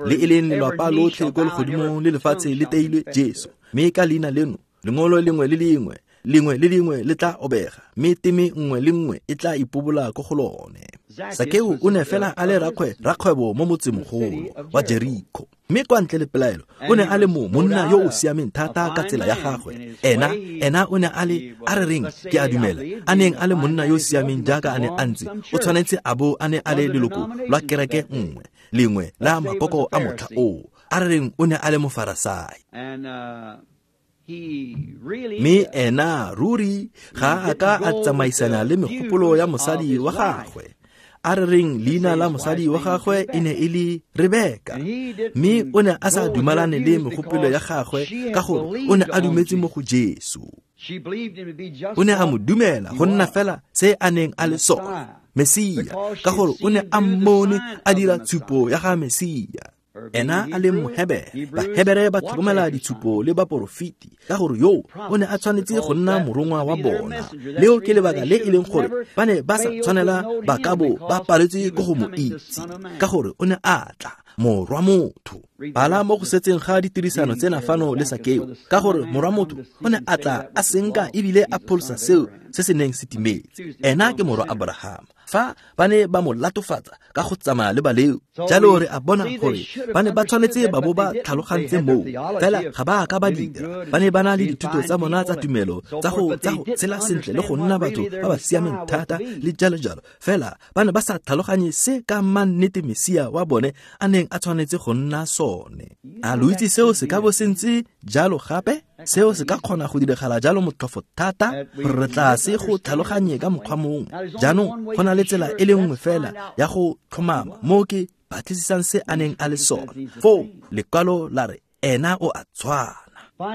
Speaker 1: le e leng lelwapa lotlhe ko legodimong le lefatshe le teilwe Jesu. Mme ka leina leno lengolo lengwe le lengwe, lengwe le lengwe le tla obega, mme teme nngwe le nngwe e tla ipobola ko go lone. Sakeo o ne fela a le rakgwebo mo motsemogolo wa Jeriko, mme kwa ntle le pelaelo o ne a le mo monna yo o siameng thata ka tsela ya gagwe. Ena o ne a le, a re reng, ke a dumela, a neng a le monna yo o siameng jaaka a ne a ntse, o tshwanetse a bo a ne a le leloko lwa kereke nngwe, lengwe la makoko a motlha oo. A re reng o ne a le mofarasai. Mme ena ruri ga a ka a tsamaisana le megopolo ya mosadi wa gagwe. A re reng leina la mosadi wa gagwe e ne e le Rebeka, mme o ne a sa dumalane le megopolo ya gagwe ka gore o ne a dumetse mo go Jesu. O ne a mo dumela go nna fela se a neng a le sone, Mesia, ka gore o ne a mmone a dira tshupo ya ga Mesia. Ena a le Mohebere, Bahebere ba tlhokomela ditshupo le baporofeti, ka gore yo o ne a tshwanetse go nna morongwa wa bona. Leo ke lebaka le e leng gore ba ne ba sa tshwanela ba ka bo ba paletswe ke go mo itse, ka gore o ne a tla morwa motho. Bala mo go setseng ga ditirisano tsena fano le Sakeo, ka gore morwa motho o ne a tla a senka ebile a pholosa seo se se neng se timetse. Ena ke morwa Abrahama. Fa ba ne ba mo latofatsa ka go tsamaya le baleo, jalo re a bona gore ba ne ba tshwanetse ba bo ba tlhalogantse moo, fela ga ba ka ba dira. Ba ne ba na le dithuto tsa bona tsa tumelo tsa go tshela sentle le go nna batho ba ba siameng thata le jalo jalo, fela ba ne ba sa tlhaloganye se ka mannete Mesia wa bone a neng a tshwanetse go nna sone. A lo itse seo se ka bo se ntse jalo gape? Seo se ka kgona go diragala jalo motlhofo thata gore re tla se go tlhaloganye ka mokgwa mongwe. Jaanong go na le tsela e le nngwe fela ya go tlhomama mo ke batlisisang se a neng a le sone. Foo lekwalo la re ena o a tshwana.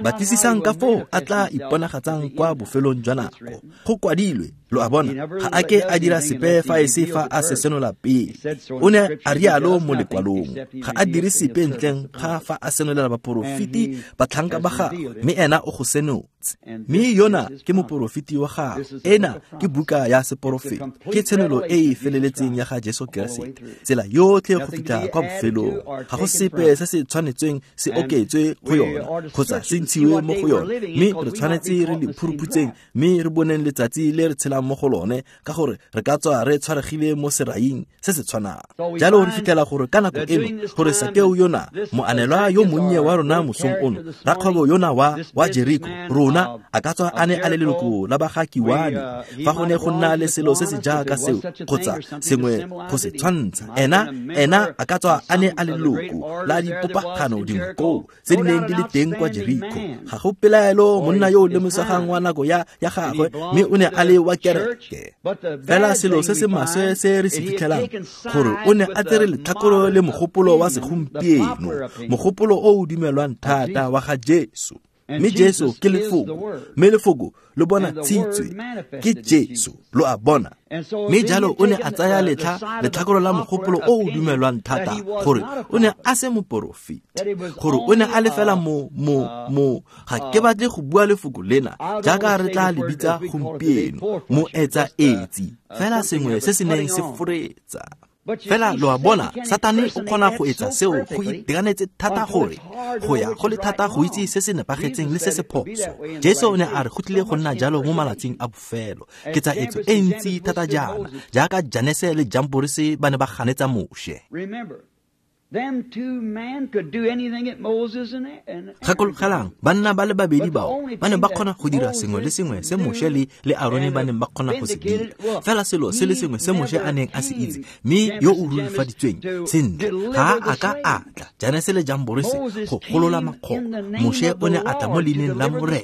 Speaker 1: Batlisisang ka foo a tla iponagatsang kwa bofelong jwa nako. Go kwadilwe Lo a bona, ga a ke a dira sepe fa e se fa a se senola pele. O ne a rialo mo lekwalong, ga a dire sepe ntleng ga fa a senolela baporofeti batlhanka ba gagwe, mme ena o go senotse. Mme yona ke moporofeti wa gagwe, ena ke buka ya seporofeti, ke tshenolo e e feleletseng ya ga Jesu Keresete, tsela yotlhe go fitlha kwa bofelong. Ga go sepe se se tshwanetsweng se oketswe go yona kgotsa se ntshiwe mo go yone, mme re tshwanetse re le phuruphutseng mme re boneng letsatsi le re tshelang mo go lone, ka gore re ka tswa re tshwaregile mo seraing se se tshwanang. Jalo re fitlhela gore ka nako eno gore Sakeo yona, moanelwa yo monnye wa rona mosong ono, rakgwebo yona wa Jeriko, rona a ka tswa a ne a le leloko la ba ga Kiwane, fa go ne go nna le selo se se jaaka seo kgotsa sengwe go se tshwantsha, ena a ka tswa a ne a le leloko la dipopagano dingwe koo tse di neng di le teng kwa Jeriko. Ga go pelaelo monna yo o lemosegang wa nako ya gagwe, mme o ne a le wa kereke. Fela selo se se maswe se re se fitlhelang gore o ne a tsere letlhakoro le mogopolo wa segompieno, mogopolo o o dumelwang thata wa ga Jesu. Mme Jesu ke lefoko, mme lefoko lo bona tshitswe ke Jesu, lo a bona. Mme jalo o ne a tsaya letlhakoro la mogopolo o o dumelwang thata gore o ne a se moporofeti, gore o ne a le fela mo ga ke batle go bua lefoko lena jaaka re tla le bitsa gompieno, moetsaetsi, fela sengwe se se neng se foretsa. Fela lo a bona, Satane o kgona go etsa seo go itekanetse thata gore go ya go le thata go itse se se nepagetseng le se se phoso. Jesu o ne a re go tlile go nna jalo mo malatsing a bofelo. Ke tsa etso e ntsi thata jaana, jaaka Janese le Jamborese ba ne ba ganetsa Moshe. Gakologelang, banna ba le babedi bao ba ne ba kgona go dira sengwe le sengwe se Moshe le Arone ba neng ba kgona go se dira. Fela selo se le sengwe se Moshe a neng a se itse, mme yo o rurifaditsweng sentle, ga a ka a tla Janese le Jamborese go golola makgoba. Moshe o ne a tla mo leineng la Morena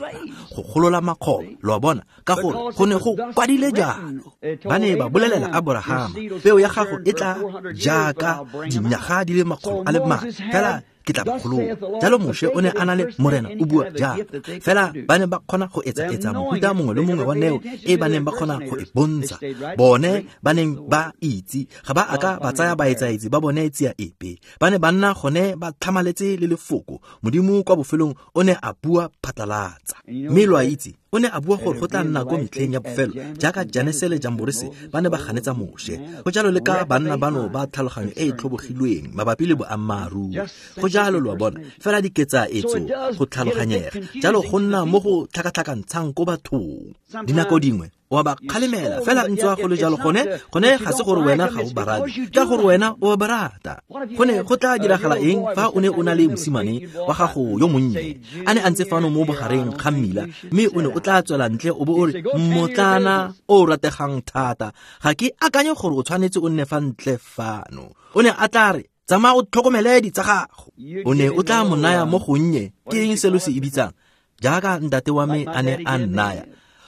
Speaker 1: go golola makgoba, lo a bona, ka gore go ne go kwadile jalo. Ba ne ba bolelela Aborahama, peo ya gago e tla jaaka dinyaga di le makgolo a le mane, fela ke tla ba golola. Jalo Moshe o ne a na le Morena o bua jalo. Fela ba ne ba kgona go etsa mofuta mongwe le mongwe wa neo e ba neng ba kgona go e bontsha. Bone ba neng ba itse, ga ba a ka ba tsaya baetsaetsi ba bone tsia epe. Ba ne ba nna gone ba tlhamaletse le lefoko. Modimo kwa bofelong o ne a bua phatlalatsa. Mme lo a itse, o ne a bua gore go tla nna ko metlheng ya bofelo jaaka Janese le Jamborese ba ne ba ganetsa Moshe. Go jalo le ka banna bano ba tlhaloganyo e e tlhobogilweng mabapi le boammaaruri. Go jalo lo a bona, fela diketsaetso go tlhaloganyega. Jalo go nna mo go tlhakatlhakantshang ko bathong. Dinako dingwe o ba kgalemela, fela ntswa go le jalo gone ga se gore wena ga o ba rate, ka gore wena o ba rata. Gone go tla diragala eng fa o ne o na le mosimane wa gago yo monnye a ne a ntse fano mo bogareng ga mmila, mme o ne o tla tswela ntle o bo o re, mmotlana o rategang thata, ga ke akanye gore o tshwanetse o nne fa ntle fano. O ne a tla re, tsamaya o tlhokomele ditsa gago. O ne o tla mo naya mo gonnye, ke eng se lo se e bitsang, jaaka ntate wa me a ne a nnaya,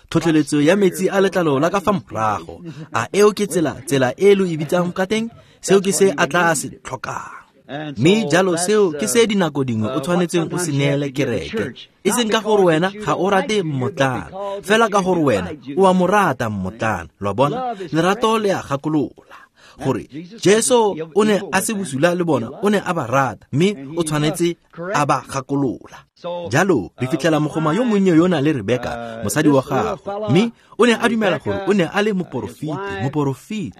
Speaker 1: tlhotlheletso ya metsi a letlalo la ka fa morago. A eo ke tsela e lo e bitsang ka teng? Seo ke se a tla se tlhokang. Mme jalo seo ke se dinako dingwe o tshwanetseng o se neele kereke, e seng ka gore wena ga o rate mmotlana, fela ka gore wena o a mo rata mmotlana. Lo a bona, lerato le a gakolola gore Jesu o ne a se bosula le bona, o ne a ba rata, mme o tshwanetse a ba gakolola. Jalo re fitlhela mogoma yo monnye yona le Rebeka, mosadi wa gagwe, mme o ne a dumela gore o ne a le moporofeti.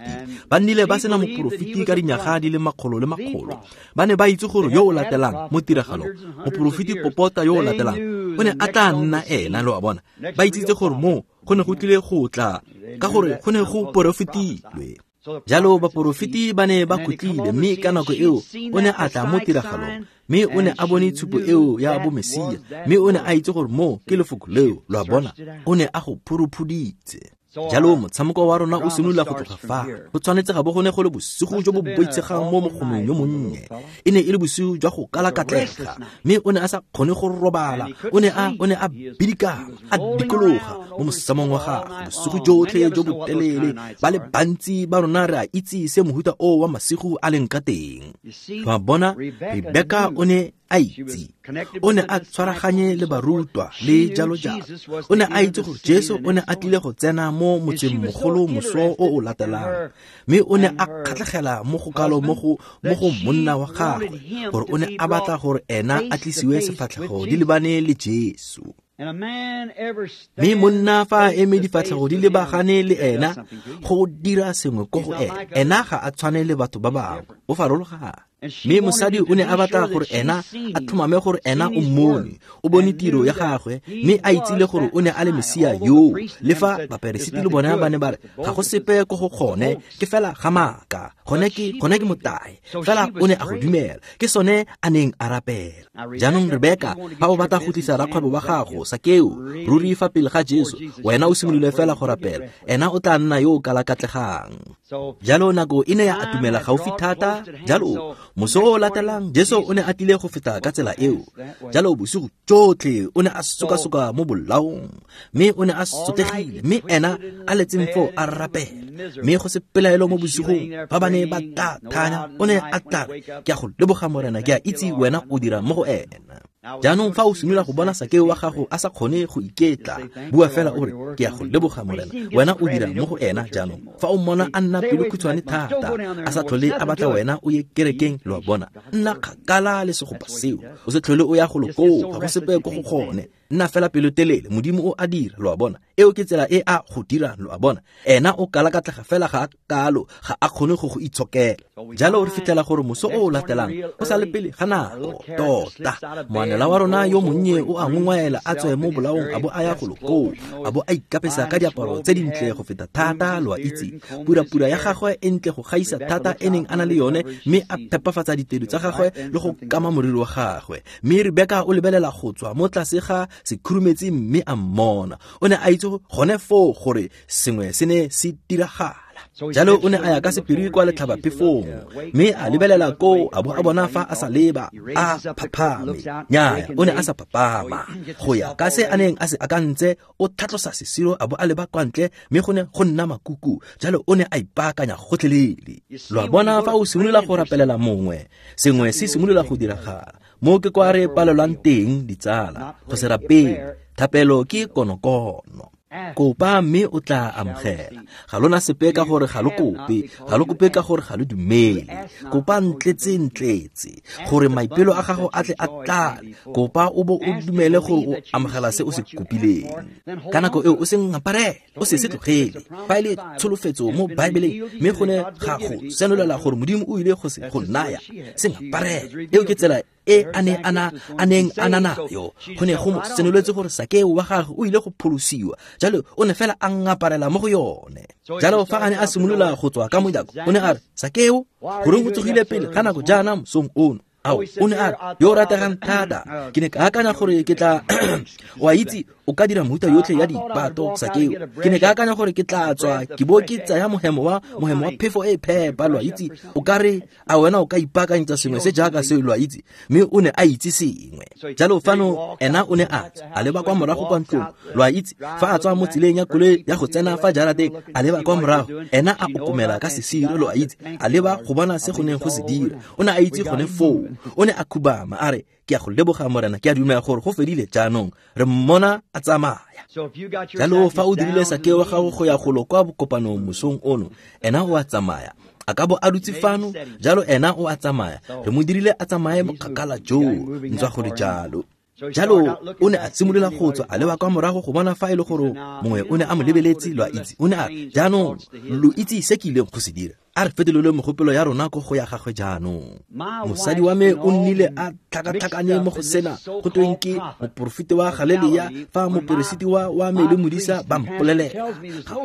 Speaker 1: Ba nnile ba sena moporofeti ka dinyaga di le makgolo le makgolo. Ba ne ba itse gore yo o latelang mo tiragalong, moporofeti popota yo o latelang, o ne a tla nna ena, lo a bona. Ba itsitse gore moo go ne go tlile go tla, ka gore go ne go porofetilwe. Jalo baporofeti ba ne ba khutlile, mme ka nako eo o ne a tla mo tiragalong, mme o ne a bone tshupo eo ya bomesia, mme o ne a itse gore moo ke lefoko leo, lo a bona, o ne a go phuruphuditse. Jalo motshameko wa rona o simolola go tloga fa. Go tshwanetse ga bo go ne go le bosigo jo bo boitshegang mo mogomong yo monnye. E ne e le bosigo jwa go kalakatlega, mme o ne a sa kgone go robala. O ne a bidikama, a dikologa mo mosamong wa gagwe bosigo jotlhe jo bo telele. Ba le bantsi ba rona re a itse se mohuta o wa masigo a leng ka teng. Lo a bona, Rebeka o ne a itse. O ne a tshwaraganye le barutwa le jalo jalo. O ne a itse gore Jesu o ne a tlile go tsena mo motsengmogolo moso o o latelang, mme o ne a kgatlhegela mo go kalo mo go monna wa gagwe gore o ne a batla gore ena a tlisiwe sefatlhego di lebane le Jesu. Mme monna fa a eme difatlhego di lebagane le ena go dira sengwe ko go ena, ena ga a tshwane le batho ba bangwe, o farologane. Mme mosadi o ne a batla gore ena a tlhomame gore ena o mmone, o bone tiro ya gagwe, mme a itsile gore o ne a le Mesia yoo. Le fa baperesiti le bona ba ne ba re ga go sepe ko go gone, ke fela ga maaka, gone ke motae, fela o ne a go dumela, ke sone a neng a rapela. Jaanong Rebeka, fa o batla go tlisa rakgwebo wa gago Sakeo ruri fa pele ga Jesu, wena o simolole fela go rapela, ena o tla nna yo o kalakatlegang. Jalo nako e ne ya atumela gaufi thata. Jalo moso o latelang Jesu o ne a tlile go feta ka tsela eo. Jalo bosigo tsotlhe o ne a sokasoka mo bolaong, mme o ne a sotlegile, mme ena a letseng foo a rapela. Mme go se pelaelo mo bosigong ba ba ne ba tla thanya, o ne a tla re, ke a go leboga Morena, ke a itse wena o dira mo go ena. Jaanong fa o simolola go bona Sakeo wa gago a sa kgone go iketla, bua fela o re, ke a go leboga Morena, wena o dira mo go ena. Jaanong fa o mmona a nna pelo khutshwane thata, a sa tlhole a batla wena o ye kerekeng, lo a bona, nna kgakala le segopa seo, o se tlhole o ya golo koo, ga go sepe ko go gone, nna fela pelo telele, Modimo o a dira, lo a bona. Eo ke tsela e a go dirang, lo a bona. Ena o kalakatlega fela ga a kalo, ga a kgone go go itshokela. Jalo re fitlhela gore moso o o latelang o sa le pele ga nako tota, moanela wa rona yo monnye o a ngongwaela a tswe mo bolaong a bo a ya golo koo, a bo a ikapesa ka diaparo tse dintle go feta thata, lo a itse, purapura ya gagwe e ntle go gaisa thata e neng a na le yone, mme a phepafatsa ditedu tsa gagwe le go kama moriri wa gagwe. Mme Rebeka o lebelela go tswa mo tlase ga sekhurumetsi mme a mmona. O ne a itse gone foo gore sengwe se ne se diragala. Jalo o ne a ya ka sephiri kwa letlhabaphefong, mme a lebelela koo a bo a bona fa a sa leba a phaphame. Nnyaya, o ne a sa phaphama. Go ya ka se a neng a se akantse, o tlhatlosa sesiro a bo a leba kwa ntle, mme go ne go nna makuku. Jalo o ne a ipaakanya gotlhelele. Lo a bona, fa o simolola go rapelela mongwe, sengwe se simolola go diragala. Mo ke kwa re palelwang teng, ditsala, go se rapele. Thapelo ke konokono. Kopa mme o tla amogela. Ga lona sepe ka gore ga lo kope, ga lo kope ka gore ga lo dumele. Kopa ntletse gore maipelo a gago a tle a tlale. Kopa o bo o dumele gore o amogela se o se kopileng. Ka nako eo o se ngaparele, o se se tlogele. Fa e le tsholofetso mo Baebeleng, mme go ne ga go senolela gore Modimo o ile go se go naya, se ngaparele. Eo ke tsela e a neng a na nayo. Go ne go mo senoletse gore Sakeo wa gagwe o ile go pholosiwa. Jalo o ne fela a ngaparela mo go yone. Jalo fa a ne a simolola go tswa ka mojako, o ne a re, Sakeo, goreng o tsogile pele ga nako jaana mosong ono? Ao, o ne a re, yo o rategang thata, ke ne ka akanya gore ke tla o a itse o ka dira mehuta yotlhe ya dipato, Sakeo. Ke ne ka akanya gore ke tla tswa ke bo ke tsaya mohemo wa phefo e phepa, lo a itse. O ka re a wena o ka ipaakanyetsa sengwe se jaaka seo, lo a itse. Mme o ne a itse sengwe. Jalo fano ena o ne a tswa a leba kwa morago kwa ntlong, lo a itse. Fa a tswa mo tseleng ya koloi ya go tsena fa jarateng, a leba kwa morago, ena a okomela ka sesiro, lo a itse, a leba go bona se go neng go se dira. O ne a itse gone foo. O ne a khubama a re, ke a go leboga Morena, ke a dumela gore go fedile jaanong, re mmona a tsamaya. Jalo fa o dirile Sakeo wa gago go ya golo kwa bokopanong mosong ono, ena o a tsamaya. A ka bo a dutse fano, jalo ena o a tsamaya. Re mo dirile a tsamaye bokgakala joo, ntswa go le jalo. Jalo o ne a simolola go tswa a leba kwa morago go bona fa e le gore mongwe o ne a mo lebeletse, lo a itse. O ne a re, jaanong lo itse se ke ileng go se dira. A re fetolele mogopolo ya rona ko go ya gagwe jaanong. Mosadi wa me o nnile a tlhakatlhakane mo go sena go tweng ke moporofeti wa Galilea, fa moperesiti wa me le modisa ba mpolelela.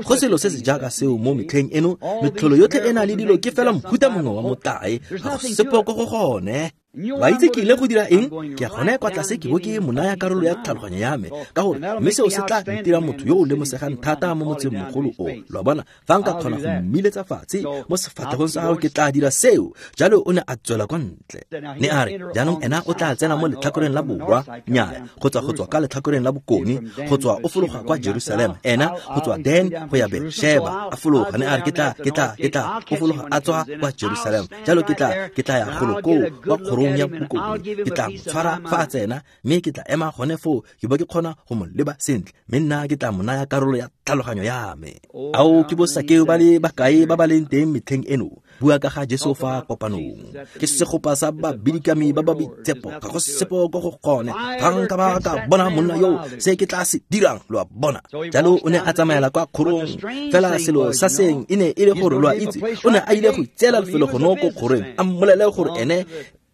Speaker 1: Go selo se se jaaka seo mo metlheng eno, metlholo yotlhe e na le dilo ke fela mohuta mongwe wa motlae, ga go sepe ko go gone. Ba itse ke ile go dira eng? Ke ya gone kwa tlase ke bo ke mo naya karolo ya tlhaloganyo ya me, ka gore mme seo se tla ntira motho yo o lemosegang thata mo motseng mogolo o. Lo a bona, fa nka kgona go mmiletsa fatshe mo sefatlhegong sa gago, ke tla dira seo. Jalo o ne a tswela kwa ntle. Ne a re, jaanong ena o tla tsena mo letlhakoreng la borwa, nnyaya, go tswa ka letlhakoreng la bokone, go tswa o fologa kwa Jerusalema, ena go tswa Dan go ya Beersheba, a fologa. Ne a re, ke tla o fologa a tswa kwa Jerusalema. Jalo ke tla ya golo koo kwa kgorong kgorong ya bokone, ke tla mo tshwara fa a tsena, mme ke tla ema gone foo ke bo ke kgona go mo leba sentle, mme nna ke tla mo naya karolo ya tlhaloganyo ya me. Ao ke bo Sakeo ba le bakae ba ba leng teng metlheng eno, bua ka ga Jesu fa kopanong. Ke segopa sa babidikami ba ba boitshepo, ga go sepo ko go gone. Ga nka ba ka bona monna yo, se ke tla se dirang, lo a bona. Jalo o ne a tsamaela kwa kgorong, fela selo sa seng e ne e le gore lo a itse, o ne a ile go itseela lefelo gone ko kgorong, a mmolele gore ene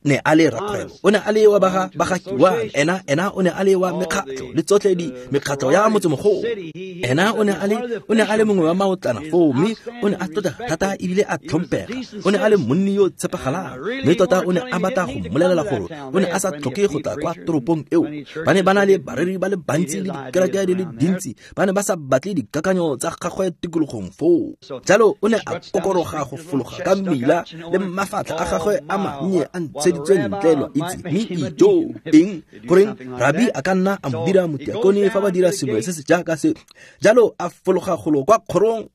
Speaker 1: ne a le rakgwebo, o ne a le wa baga kiwang, ena o ne a le wa mekgatlho le tsotlhe di mekgatlho ya motsemogolo. Ena o ne a le mongwe wa maotlana foo, mme o ne a tlotla thata ebile a tlhomphega. O ne a le monni yo tshepagalang, mme tota o ne a batla go mmolelela gore o ne a sa tlhoke go tla kwa toropong eo. Ba ne ba na le bareri ba le bantsi le dikereke di le dintsi, ba ne ba sa batle dikakanyo tsa gagwe tikologong foo. Jalo o ne a kokoroga go fologa ka mmila le mafatlha a gagwe a mannye a ntsheditswe ntle, lo itse, mme ijo eng goreng rabi a ka nna a mo dira motiakone fa ba dira sengwe se se jaaka se. Jalo a fologa golo kwa kgorong,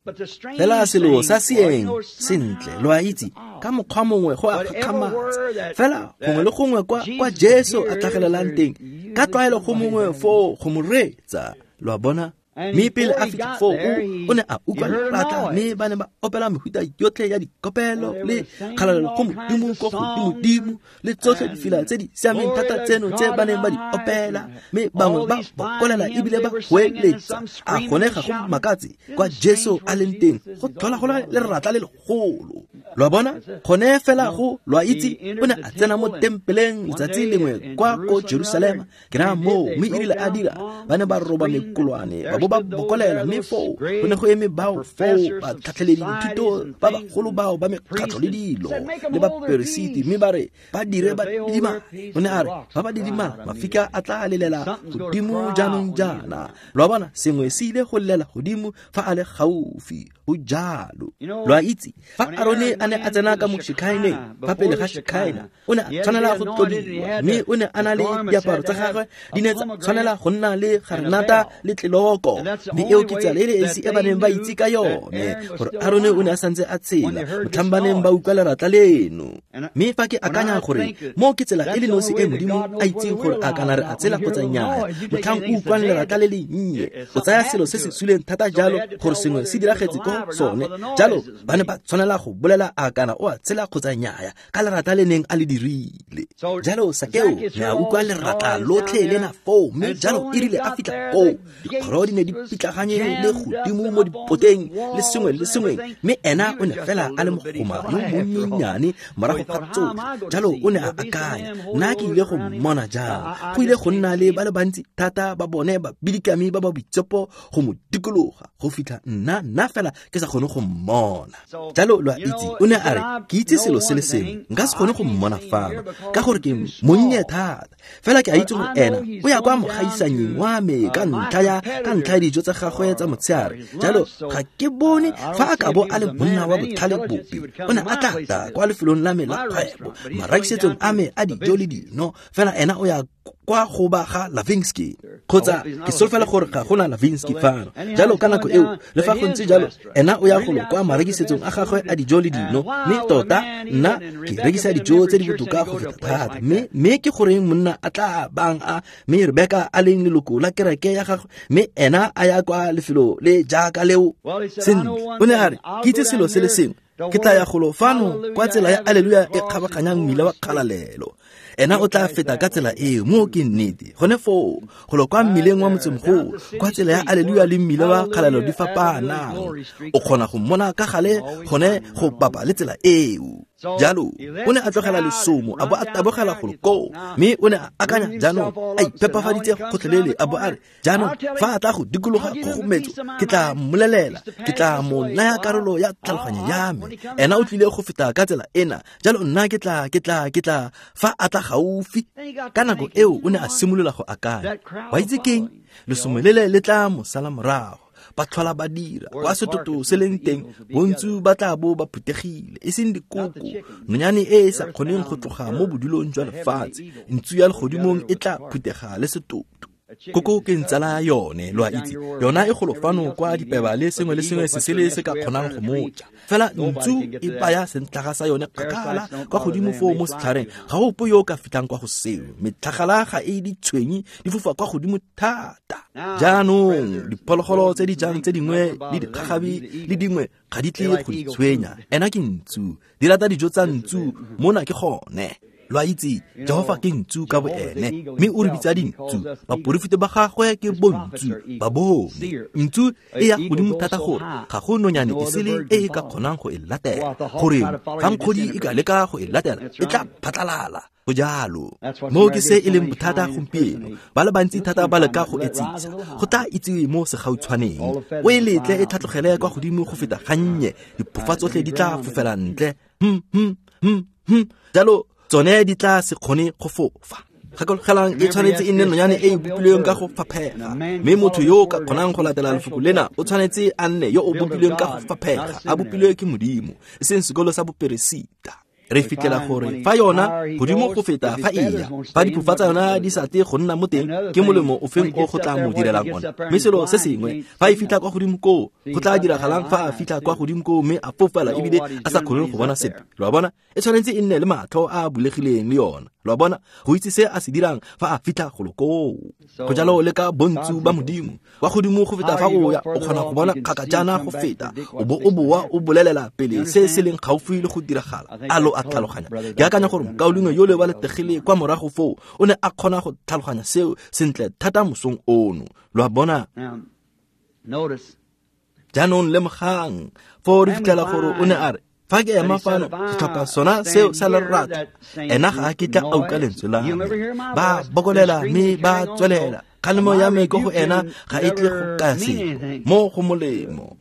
Speaker 1: fela selo sa seeng sentle, lo a itse, ka mokgwa mongwe go a gakgamatsa. Fela gongwe le gongwe kwa Jesu a tlhagelelang teng, ka tlwaelo go mongwe foo go mo reetsa, lo a bona. Mme pele a fitlha foo, o ne a utlwa lepatla, mme ba ne ba opela mehuta yotlhe ya dikopelo le kgalalelo go Modimo ko godimodimo, le tsotlhe difela tse di siameng thata tseno tse ba neng ba di opela, mme bangwe ba bokolela ebile ba goeletsa. A gone ga go makatse kwa Jesu a leng teng, go tlhola go le leratla le legolo, lo a bona. Gone fela go, lo a itse, o ne a tsena mo tempeleng letsatsi lengwe kwa ko Jerusalema, ke raya moo, mme erile a dira, ba ne ba roba mekolwane, ba bo ba bokolela, mme foo go ne go eme bao foo ba tlhatlheledi dithuto ba bagolo bao ba mekgatlho le dilo le baperesiti, mme ba re ba dire ba didimale. O ne a re ba ba didimala, mafika a tla lelela godimo jaanong jaana, lo a bona, sengwe se ile go lelela godimo fa a le gaufi. Go jalo, lo a itse, fa Arone a ne a tsena ka mo Shekhaineng, fa pele ga Shekhaina, o ne a tshwanela go tlodiwa, mme o ne a na le diaparo tsa gagwe di ne tsa tshwanela go nna le garenata le tleloko, mme eo ke tsela e le esi e ba neng ba itse ka yone gore Arone o ne a santse a tshela motlhang ba neng ba utlwa leratla leno. Mme fa ke akanya gore mo ke tsela e le nosi e Modimo a itseng gore a kana re a tshela kgotsa nnyaa, motlhang o utlwang leratla le le nnye, o tsaya selo se se suleng thata jalo gore sengwe se diragetse ko sone. Jalo ba ne ba tshwanela go bolela a kana o a tshela kgotsa nnyaa ka leratla le neng a le dirile. Jalo Sakeo ne a utlwa leratla lotlhe lena foo, mme jalo e rile a fitlha foo, dikgoro di ne di pitlaganye le godimo mo dipoteng le sengwe le sengwe, mme ena o ne fela a le mogoma yo monyenyane morago ga tsotlhe. Jalo o ne a akanya, nna ke ile go mmona jang? Go ile go nna le ba le bantsi thata ba bone babidikami ba ba boitshepo go mo dikologa go fitlha nna fela ke sa kgone go mmona. Jalo lo a itse, o ne a re ke itse selo se le sengwe, nka se kgone go mmona fano ka gore ke monnye thata, fela ke a itse gore ena o ya kwa mogaisanyeng wa me ka ntlha ya dijo tsa gagwe tsa motshegare. Jalo ga ke bone fa a ka bo a le monna wa botlhale bope, o ne a tla tla kwa lefelong la me la kgwebo, marekisetsong a me a dijo le dino, fela ena o ya kwa go ba ga Lavinsky, kgotsa ke solofela gore ga gona Lavinsky fano. Jalo ka nako eo, le fa go ntse jalo, ena o ya golo kwa marekisetsong a gagwe a dijo le dino, mme tota nna ke rekisa dijo tse di botoka go feta thata. Mme ke goreng monna a tla bang a mme Rebeka a leng leloko la kereke ya gagwe, mme ena a ya kwa lefelo le jaaka leo? Sentle, o ne a re ke itse selo se le sengwe, ke tla ya golo fano kwa tsela ya Alleluia e kgabaganyang mmila wa kgalalelo. Ena o tla feta ka tsela eo, mo ke nnete. Gone foo, golo kwa mmileng wa motsemogolo, kwa tsela ya Alleluia le mmila wa kgalalelo di fapanang, o kgona go mmona ka gale gone go bapa le tsela eo. Jalo o ne a tlogela lesomo a bo a tabogela golo koo, mme o ne a akanya jaanong a iphepafaditse gotlhelele, a bo a re jaanong fa a tla go dikologa kgogometso, ke tla mmolelela, ke tla mo naya karolo ya tlhaloganyo ya me. Ena o tlile go feta ka tsela ena, jalo nna ke tla fa a tla gaufi. Ka nako eo o ne a simolola go akanya, wa itse keng, lesomo lele le tla mo sala morago. Ba tlhola ba dira kwa setoto se leng teng, bontsi ba tla bo ba phuthegile, e seng dikoko, nonyane e e sa kgoneng go tloga mo bodulong jwa lefatshe, ntsu ya legodimong e tla phuthega le setoto. Koko ke ntsala yone, lo a itse. Yona e golo fano kwa dipeba le sengwe le sengwe se sele se ka kgonang go moja. Fela ntsu e baya sentlhaga sa yone kgakala kwa godimo foo mo setlhareng. Ga go ope yo o ka fitlhang kwa go seo. Metlhagala ga e ditshwenye di fofa kwa godimo thata. Jaanong diphologolo tse di jang tse dingwe le dikgagabi le dingwe ga di tle go di tshwenya. Ena ke ntsu, di rata dijo tsa ntsu, mona ke gone. Lo a itse, Jehofa ke ntsu ka boene, mme o re bitsa dintsu. Baporofeta ba gagwe ke bontsu, ba bone. Ntsu e ya godimo thata gore ga go nonyane e sele e e ka kgonang go e latela. Goreng, fa nkgodi e ka leka go e latela, e tla phatlalala. Go jalo. Moo ke se e leng bothata gompieno. Ba le bantsi thata ba leka go etsisa. Go tla itsiwe mo segautshwaneng. O e letle e tlhatlogele kwa godimo go feta gannye. Diphofa tsotlhe di tla fofela ntle. Jalo tsone di tla se kgone go fofa. Gakologelang e tshwanetse e nne nonyane e e bopilweng ka go faphega. Mme motho yo o ka kgonang go latela lefoko lena o tshwanetse a nne yo o bopilweng ka go faphega, a bopilwe ke Modimo, e seng sekolo sa boperesita. Re fitlhela gore fa yona godimo go feta fa e ya, fa diphofa tsa yona di sa tle go nna mo teng, ke molemo ofeng o go tla mo direlang ona. Mme selo se sengwe, fa e fitlha kwa godimo koo, go tla diragalang fa a fitlha kwa godimo koo mme a fofela ebile a sa kgone go bona sepe. Lo a bona? E tshwanetse e nne le matlho a a bulegileng le yona. Lo a bona? Go itse se a se dirang fa a fitlha golo koo. Go jalo le ka bontsu ba Modimo. Kwa godimo go feta fa o ya, o kgona go bona kgakajana go feta, o bo o boa o bolelela pele se se leng gaufi le go diragala. A lo a tlhaloganya? Ke akanya gore mokaulengwe yole wa letegile kwa morago foo o ne a kgona go tlhaloganya seo sentle thata mosong ono. Lo a bona? Jaanong lemogang, foo re fitlhela gore o ne a re, fa ke ema fano setlhopha sona seo sa lerata, ena ga a kitla a utlwa lentswe la me. Ba bokolela mme ba tswelela. Kgalemo ya me ko go ena ga e tle go kaya sepe, mo go molemo.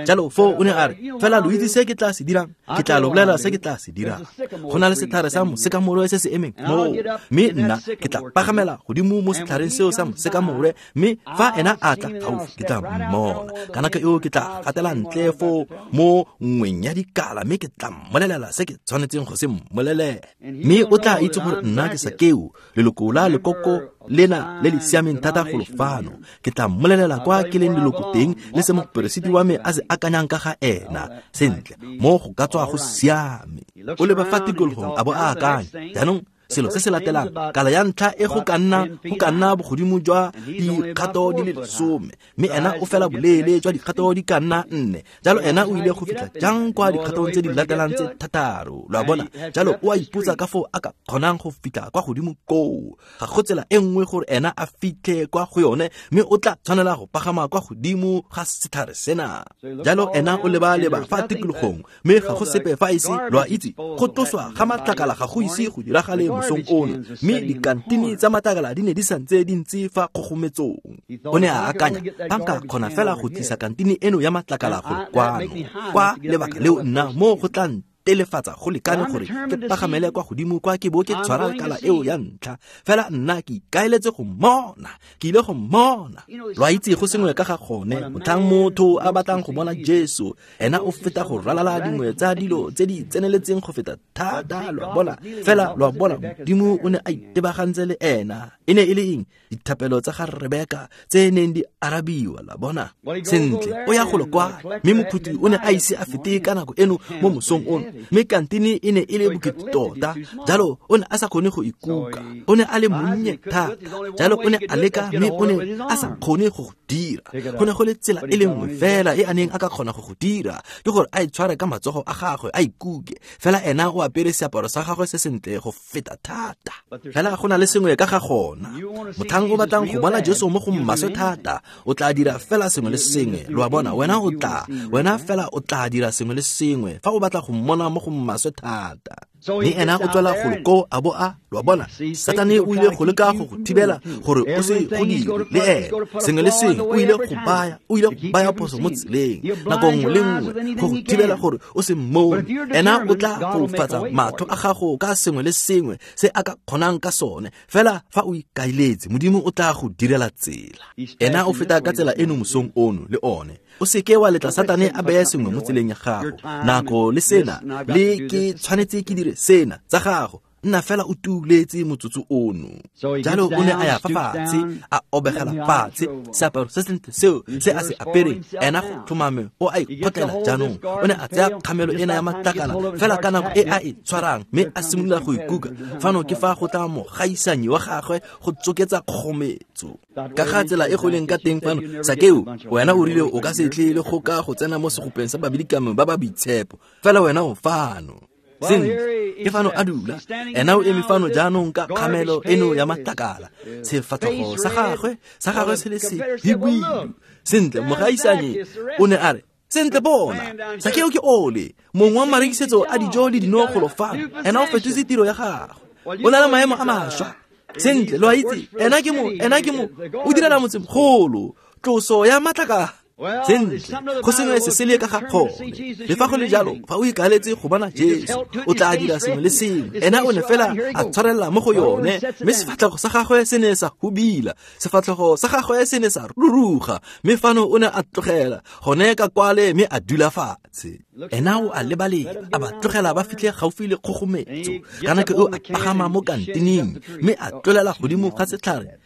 Speaker 1: Jalo foo o ne a re, fela lo itse se ke tla se dirang, ke tla lo bolela se ke tla se dirang. Go na le setlhare sa mosekamore se se emeng moo, mme nna ke tla pagamela godimo mo setlhareng seo sa mosekamore, mme fa ena a tla gaufi ke tla mmona. Ka nako eo ke tla gatela ntle foo mo nngweng ya dikala, mme ke tla mmolelela se ke tshwanetseng go se mmolelela. Mme o tla itse gore nna ke Sakeo, leloko la lekoko lena le le siameng thata golo fano. Ke tla mmolelela kwa ke leng leloko teng le se moperesiti wa me a se akanyang ka ga ena. Sentle, mo go ka tswa go siame. O leba fa tikologong a bo a akanya. Jaanong selo se se latelang, kala ya ntlha e go ka nna bogodimo jwa dikgato di le 10, mme ena o fela boleele jwa dikgato di ka nna 4. Jalo ena o ile go fitlha jang kwa dikgatong tse di latelang tse 6? Lo a bona? Jalo o a ipotsa ka foo a ka kgonang go fitlha kwa godimo koo. Ga go tsela e nngwe gore ena a fitlhe kwa go yone, mme o tla tshwanela go pagama kwa godimo ga setlhare sena. Jalo ena o leba-leba fa tikologong, mme ga go sepe fa ise, lo a itse, go tloswa ga matlakala ga go ise go diragale mosong ono, mme dikantini tsa matlakala di ne di santse di ntse fa kgogometsong. O ne a akanya, fa nka kgona fela go tlisa kantini eno ya matlakala go kwano, kwa lebaka leo nna mo go tla ntelefatsa go lekane gore ke pagamele kwa godimo kwa ke bo ke tshwara kala eo ya ntlha. Fela nna ke ikaeletse go mmona, ke ile go mmona. Lo a itse go sengwe ka ga gone, motlhang motho a batlang go bona Jesu, ena o feta go ralala dingwe tsa dilo tse di tseneletseng go feta thata. Lo a bona? Fela lo a bona, Modimo o ne a itebagantse le ena. E ne e le eng? Dithapelo tsa ga Rebeka tse neng di arabiwa. La bona? Sentle, o ya golo kwa, mme mophuti o ne a ise a fete ka nako eno mo mosong ono, mme kantini e ne e le bokete tota. Jalo o ne a sa kgone go ikuka, o ne a le monnye thata. Jalo o ne a leka, mme o ne a sa kgone go go dira. Go ne go le tsela e le nngwe fela e a neng a ka kgona go go dira, ke gore a e tshware ka matsogo a gagwe a ikuke. Fela ena o apere seaparo sa gagwe se sentle go feta thata. Fela go na le sengwe ka ga gona. Motlhang o batlang go bona Jesu mo go maswe thata, o tla dira fela sengwe le sengwe. Lo a bona? Wena fela o tla dira sengwe le sengwe fa o batla go mmona mo go maswe thata. Mme ena o tswela golo koo a bo a, lo a bona, Satane o ile go leka go go thibela gore o se go dire le ena. Sengwe le sengwe o ile go baya phoso mo tseleng nako nngwe le nngwe go go thibela gore o se mmone. Ena o tla foufatsa matlho a gago ka sengwe le sengwe se a ka kgonang ka sone. Fela fa o ikaeletse, Modimo o tla go direla tsela. Ena o feta ka tsela eno mosong ono le one. O seke wa letla Satane a beye sengwe mo tseleng ya gago. Nako le sena, le ke tshwanetse ke dire sena tsa gago. Nna fela o tuletse motsotso ono. Jalo o ne a ya fa fatshe, a obegela fatshe seaparo se sentle seo se a se apereng. Ena go tlhomame o a ikgotlela jaanong. O ne a tsaya kgamelo ena ya matlakala fela ka nako e a e tshwarang, mme a simolola go ikuka. Fano ke fa go tla mogaisanyi wa gagwe go tsoketsa kgometso. Ka ga tsela e go leng ka teng fano, Sakeo, wena o rile o ka se tle le go ka go tsena mo segopeng sa babilikame ba ba boitshepo, fela wena o fano. Sentle, ke fano a dula. Ena o eme fano jaanong ka kgamelo eno ya matlakala, sefatlhogo sa gagwe se le se hibidu. Sentle, mogaisanye o ne a re, sentle bona, Sakeo ke ole, mongwe wa marekisetso a dijo le dino golo fano. Ena o fetotse tiro ya gagwe, o na le maemo a mašwa. Sentle, lo a itse, ena ke mo, o direla motsemogolo, tloso ya matlakala. Sentle, go sengwe se se le ka ga gone. Le fa go le jalo, fa o ikaletse go bona Jesu, o tla dira sengwe le sengwe. Ena o ne fela a tshwarela mo go yone, mme sefatlhego sa gagwe se ne sa hubila, sefatlhego sa gagwe se ne sa ruruga, mme fano o ne a tlogela gone ka kwale mme a dula fatshe. Ena o a lebaleba, a ba tlogela ba fitlhe gaufi le kgogometso. Ka nako eo a pagama mo kantineng, mme a tlolela godimo ga setlhare.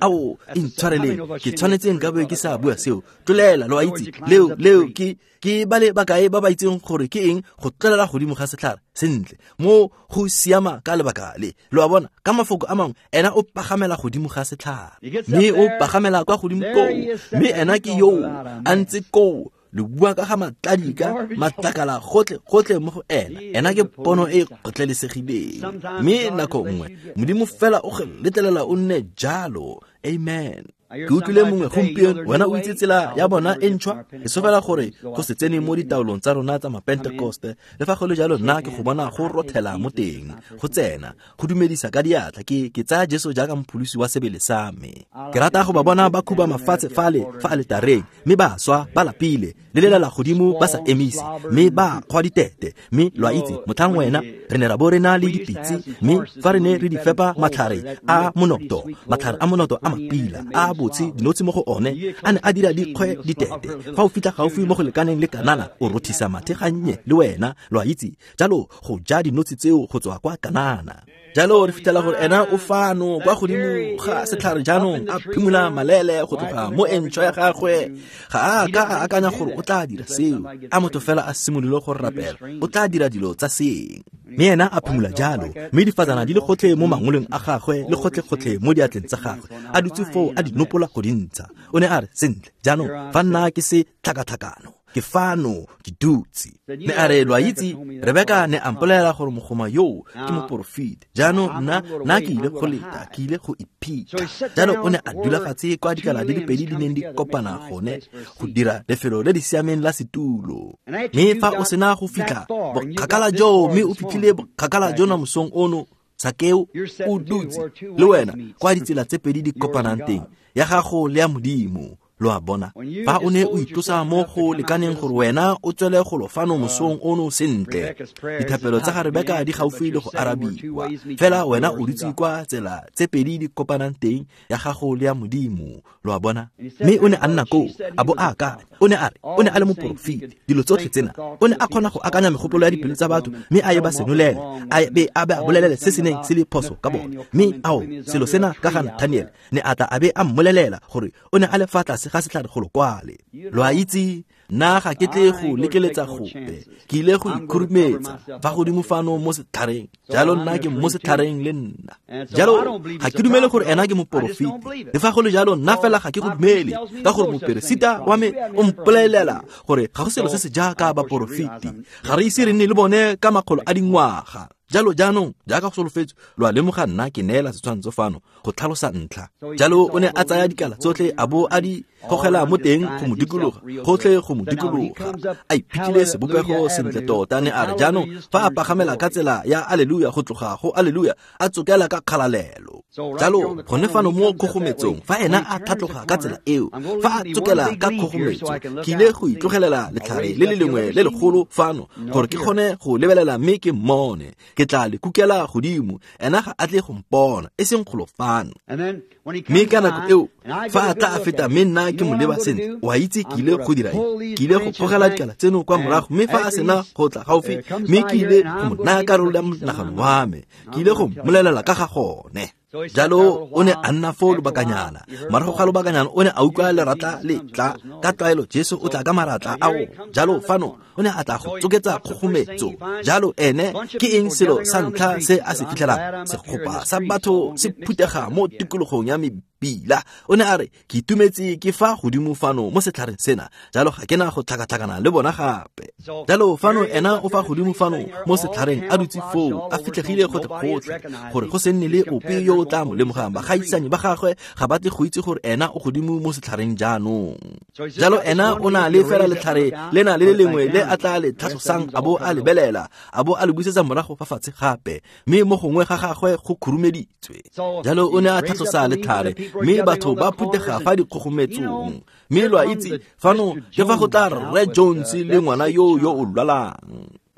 Speaker 1: Ao, intshwareleng, ke tshwanetse nka be ke sa bua seo. Tlolela, lo a itse, leo ke ba le bakae ba ba itseng gore ke eng go tlolela godimo ga setlhare. Sentle, mo go siama ka lebaka le. Lo a bona, ka mafoko a mangwe, ena o pagamela godimo ga setlhare, mme o pagamela kwa godimo koo, mme ena ke yoo a ntse koo. Le bua ka ga matladika, matlakala gotlhe mo go ena. Ena ke pono e kgotlelesegileng. Mme nako nngwe Modimo fela o go letlelela o nne jalo. Amen. Ke utlwile mongwe gompieno, wena o itse tsela ya bona e ntšhwa. Ke sofela gore go se tsene mo ditaolong tsa rona tsa mapentekoste. Le fa go le jalo, nna ke go bona go rothela mo teng, go tsena, go dumedisa ka diatla. Ke tsaya Jesu jaaka mopholosi wa sebele sa me. Ke rata go ba bona ba khuba mafatshe fale fa aletareng, mme ba swa ba lapile, le lelela godimo ba sa emise, mme ba kgwa ditete. Mme lo a itse, motlhang wena re ne ra bo re na le dipitse, mme fa re ne re di fepa matlhare a monoto, matlhare a monoto a mapila a botse dinotshi mo go one, a ne a dira dikgwe ditete. Fa o fitlha gaufi mo go lekaneng le kanana, o rothisa mathe gannye le wena, lo a itse. Jalo go ja dinotshi tseo go tswa kwa kanana. Jalo re fitlhela gore ena o fano kwa godimo ga setlhare jaanong, a phimola malele go tloga mo entšhwa ya gagwe. Ga a ka a akanya gore o tla dira seo. A motho fela a simolole go rapela, o tla dira dilo tsa seeng. Mme ena a phimola jalo, mme difatsana di le gotlhe mo mangoleng a gagwe le gotlhe-gotlhe mo diatleng tsa gagwe, a dutse foo a di nopola go di ntsha. O ne a re, sentle, jaanong fa nna ke se tlhakatlhakano, ke fano ke dutse. Ne a re, lo a itse, Rebeka ne a mpolelela gore mogoma yoo ke moporofeti. Jaanong nna ke ile go leta, ke ile go iphitlha. Jalo o ne a dula fatshe kwa dikala di le pedi di neng di kopana gone go dira lefelo le le siameng la setulo. Mme fa o sena go fitlha bokgakala joo, mme o fitlhile bokgakala jona mosong ono, Sakeo o dutse le wena kwa ditsela tse pedi di kopanang teng, ya gago le ya Modimo. Lo a bona, fa o ne o itlosa mo go lekaneng gore wena o tswele golo fano mosong ono sentle, dithapelo tsa ga Rebeka di gaufi le go arabiwa. Fela wena o dutse kwa tsela tse pedi di kopanang teng, ya gago le ya Modimo. Lo a bona. Mme o ne a nna koo, a bo a akanya. O ne a re, o ne a le moporofeti, dilo tsotlhe tsena. O ne a kgona go akanya megopolo ya dipelo tsa batho, mme a ye ba senolele, a be a ba bolelele se se neng se le phoso ka bone. Mme ao, selo sena ka ga Nathaniel, ne a tla a be a mmolelela gore o ne a le fa tlase ga setlhare golo kwale. Lo a itse, nna ga ke tle go lekeletsa gope, ke ile go ikhurumetsa fa godimo fano mo setlhareng. Jalo nna ke mo setlhareng le nna. Jalo ga ke dumele gore ena ke moporofeti. Le fa go le jalo, nna fela ga ke go dumele, ka gore moperesita wa me o mpolelela gore ga go selo se se jaaka baporofeti. Ga re ise re nne le bone ka makgolo a dingwaga. Jalo jaanong, jaaka go solofetswe, lo a lemoga nna ke neela setshwantsho fano go tlhalosa ntlha. Jalo o ne a tsaya dikala tsotlhe a bo a di gogela mo teng go mo dikologa, gotlhe go mo dikologa. A iphitlhile sebopego sentle tota. Ne a re jaanong fa a pagamela ka tsela ya aleluya go tloga go aleluya, a tsokela ka kgalalelo. Jalo gone fano mo kgogometsong, fa ena a tlhatloga ka tsela eo, fa a tsokela ka kgogometso, ke ile go itlogelela letlhare le le lengwe le legolo fano gore ke kgone go lebelela mme ke mmone. Ke tla le kukela godimo, ena ga a tle go mpona, e seng golo fano. Mme ka nako eo, fa a tla a feta mme nna ke mo leba sentle, o a itse ke ile go dira eng? Ke ile go gogela dikala tseno kwa morago, mme fa a sena go tla gaufi, mme ke ile go mo naya karolo ya monagano wa me, ke ile go mmolelela ka ga gone. Jalo o ne a nna foo lobakanyana. Morago ga lobakanyana o ne a utlwa leratla le tla. Ka tlwaelo Jesu o tla ka maratla ao. Jalo fano o ne a tla go tsoketsa kgogometso. Jalo ene ke eng selo sa ntlha se a se fitlhelang? Segopa sa batho se phutega mo tikologong ya mebila. O ne a re, ke itumetse ke fa godimo fano mo setlhareng sena, jalo ga ke na go tlhakatlhakana le bona gape. Jalo fano ena o fa godimo fano mo setlhareng a dutse foo, a fitlhegile gotlhe-gotlhe, gore go se nne le ope yo o tla mo lemogang. Bagaisani ba gagwe ga ba tle go itse gore ena o godimo mo setlhareng jaanong. Jalo ena o na le fela letlhare lena le le lengwe le a tla le tlhatlosang, a bo a lebelela, a bo a le busetsa morago fa fatshe gape, mme mo gongwe ga gagwe go khurumeditswe. Jalo o ne a tlhatlosa letlhare, mme batho ba phutega fa dikgogometsong. Mme lo a itse, fano ke fa go tla Rre Jones le ngwana yo yo o lwalang.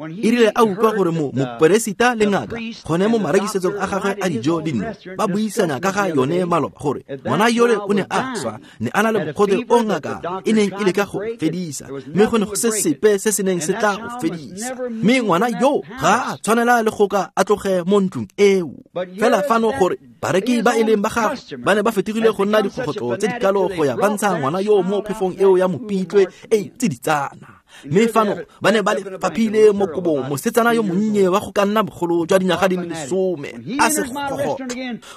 Speaker 1: E rile a utlwa gore moperesita le ngaka gone mo marekisetsong a gagwe a dijo le dino ba buisana ka ga yone maloba gore ngwana yole o ne a swa, ne a na le mogote o ngaka e neng e leka go fedisa, mme go ne go se sepe se se neng se tla go fedisa, mme ngwana yo ga a tshwanela le go ka a tloge mo ntlong eo. Fela fano gore bareki ba e leng ba gagwe ba ne ba fetogile go nna dikgogotlo tse di kalo go ya ba ntsha ngwana yo mo phefong eo ya mopitlwe e tsiditsana. Mme fano ba ne ba le faphile mo kobong mosetsana yo monnye wa go ka nna bogolo jwa dinyaga di le 10, a se gogotlo.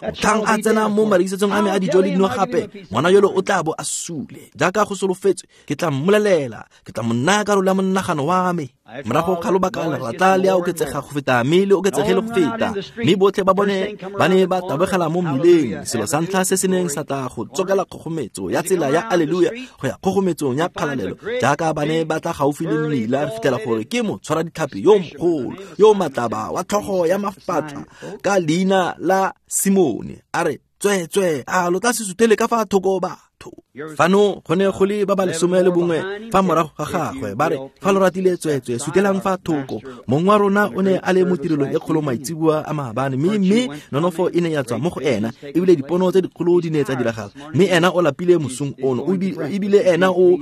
Speaker 1: Motlhang a tsena mo marekisetsong a me a dijo le dino gape, ngwana yolo o tla bo a sule. Jaaka go solofetswe, ke tla mmolelela, ke tla mo naya karolo ya monagano wa me. Morago ga lobaka leratla le a oketsega go feta, mme le oketsege le go feta, mme botlhe ba bone ba ne ba tabogela mo mmileng. Selo sa ntlha se se neng sa tla go tsokela kgogometso ya tsela ya aleluya go ya kgogometsong ya kgalalelo, jaaka ba ne ba tla gaufi le mmila, re fitlhela gore ke motshwara ditlhapi yo mogolo yo matlaba wa tlhogo ya mafatla ka leina la Simone, a re, tswe-tswe, a lo tla se sutele ka fa thoko batho. Fano go ne go le ba ba 11 fa morago ga gagwe, ba re, fa lo ratile tswe-tswe, sutelang fa thoko. Mong wa rona o ne a le mo tirelong e kgolo maitseboa a maabane, mme nonofo e ne ya tswa mo go ena, ebile dipono tse dikgolo di ne tsa diragala. Mme ena o lapile mosong ono, ebile ena o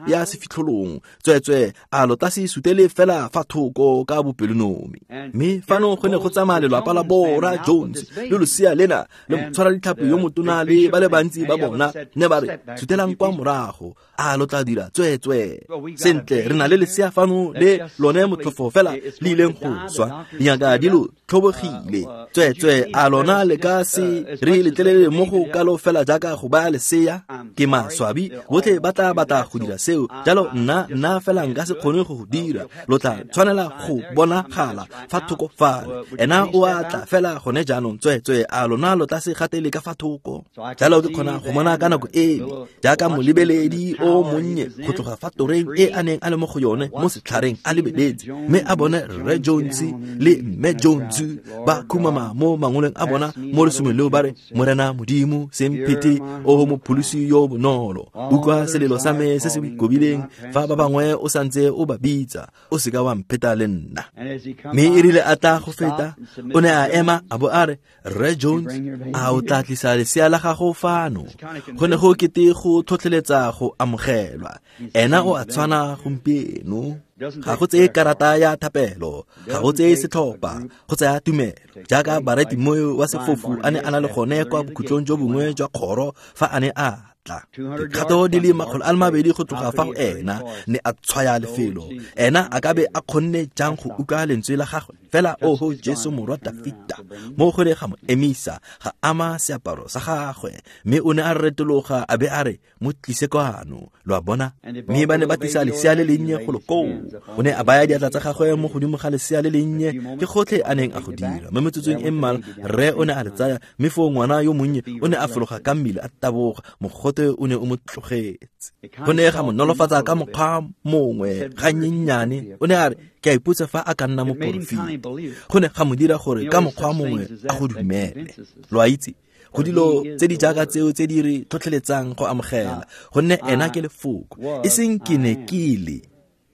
Speaker 1: ya sefitlholong. Tswe-tswe, a lo tla se sutele fela fa thoko ka bopelonomi. Mme fano go ne go tsamaya lelapa la Bora Jones le losea lena le motshwara ditlhapi yo motona le ba le bantsi ba bona, ne ba re, sutelang kwa morago, a lo tla dira tswe-tswe. Sentle, re na le lesea fano le lone motlhofo fela le ileng go swa, dingaka di lo tlhobogile. Tswe-tswe, a lona le ka se re letlelele mo go kalo fela jaaka go baya lesea? Ke maswabi, botlhe ba tla batla go dira seo. Jalo nna fela nka se kgone go go dira. Lo tla tshwanela go bonagala fa thoko fale. Ena o a tla fela gone jaanong. Tswe-tswe, a lona lo tla se gatele ka fa thoko. Jalo ke kgona go mona ka nako ele jaaka molebeledi o monnye go tloga fa toreng e a neng a le mo go yone mo setlhareng a lebeletse, mme a bone Rre Jones le Mme Jones ba khumama mo mangoleng a bona mo lesomeng leo, ba re, Morena Modimo, semphete o mopholosi yo bonolo, utlwa selelo sa me se se boikobileng fa ba bangwe o santse o ba bitsa, o seka wa mpheta le nna. Mme e rile a tla go feta, o ne a ema a bo a re, Rre Jones, a o tla tlisa lesea la gago fano? Go ne go kete go tlhotlheletsa go amogelwa. Ena o a tshwana gompieno. Ga go tseye karata ya thapelo, ga go tseye setlhopha, go tsaya tumelo. Jaaka Bartimeo wa sefofu a ne a na le gone kwa bokhutlong jo bongwe jwa kgoro fa a ne a tla. Dikgato di le 200 go tloga fa go ena, ne a tshwaya lefelo. Ena a ka be a kgonne jang go utlwa lentswe la gagwe? Fela oho Jesu morwa Dafita, mo go ne ga mo emisa, ga ama seaparo sa gagwe, mme o ne a retologa a be a re, mo tlise kwano. Lo a bona? Mme ba ne ba tlisa lesea le lennye golo koo. O ne a baya diatla tsa gagwe mo godimo ga lesea le lennye, ke gotlhe a neng a go dira. Mo metsotsong e mmalwa, rre o ne a le tsaya, mme foo ngwana yo monnye o ne a fologa ka mmele a taboga, mogote Mogote o ne o mo tlogetse. Go ne ga mo nolofatsa ka mokgwa mongwe ganyennyane. O ne a re, ke a ipotsa fa a ka nna moporofeti. Go ne ga mo dira gore ka mokgwa mongwe a go dumele. Lo a itse, go dilo tse di jaaka tseo tse di re tlhotlheletsang go amogela, gonne ena ke lefoko, e seng ke ne ke le,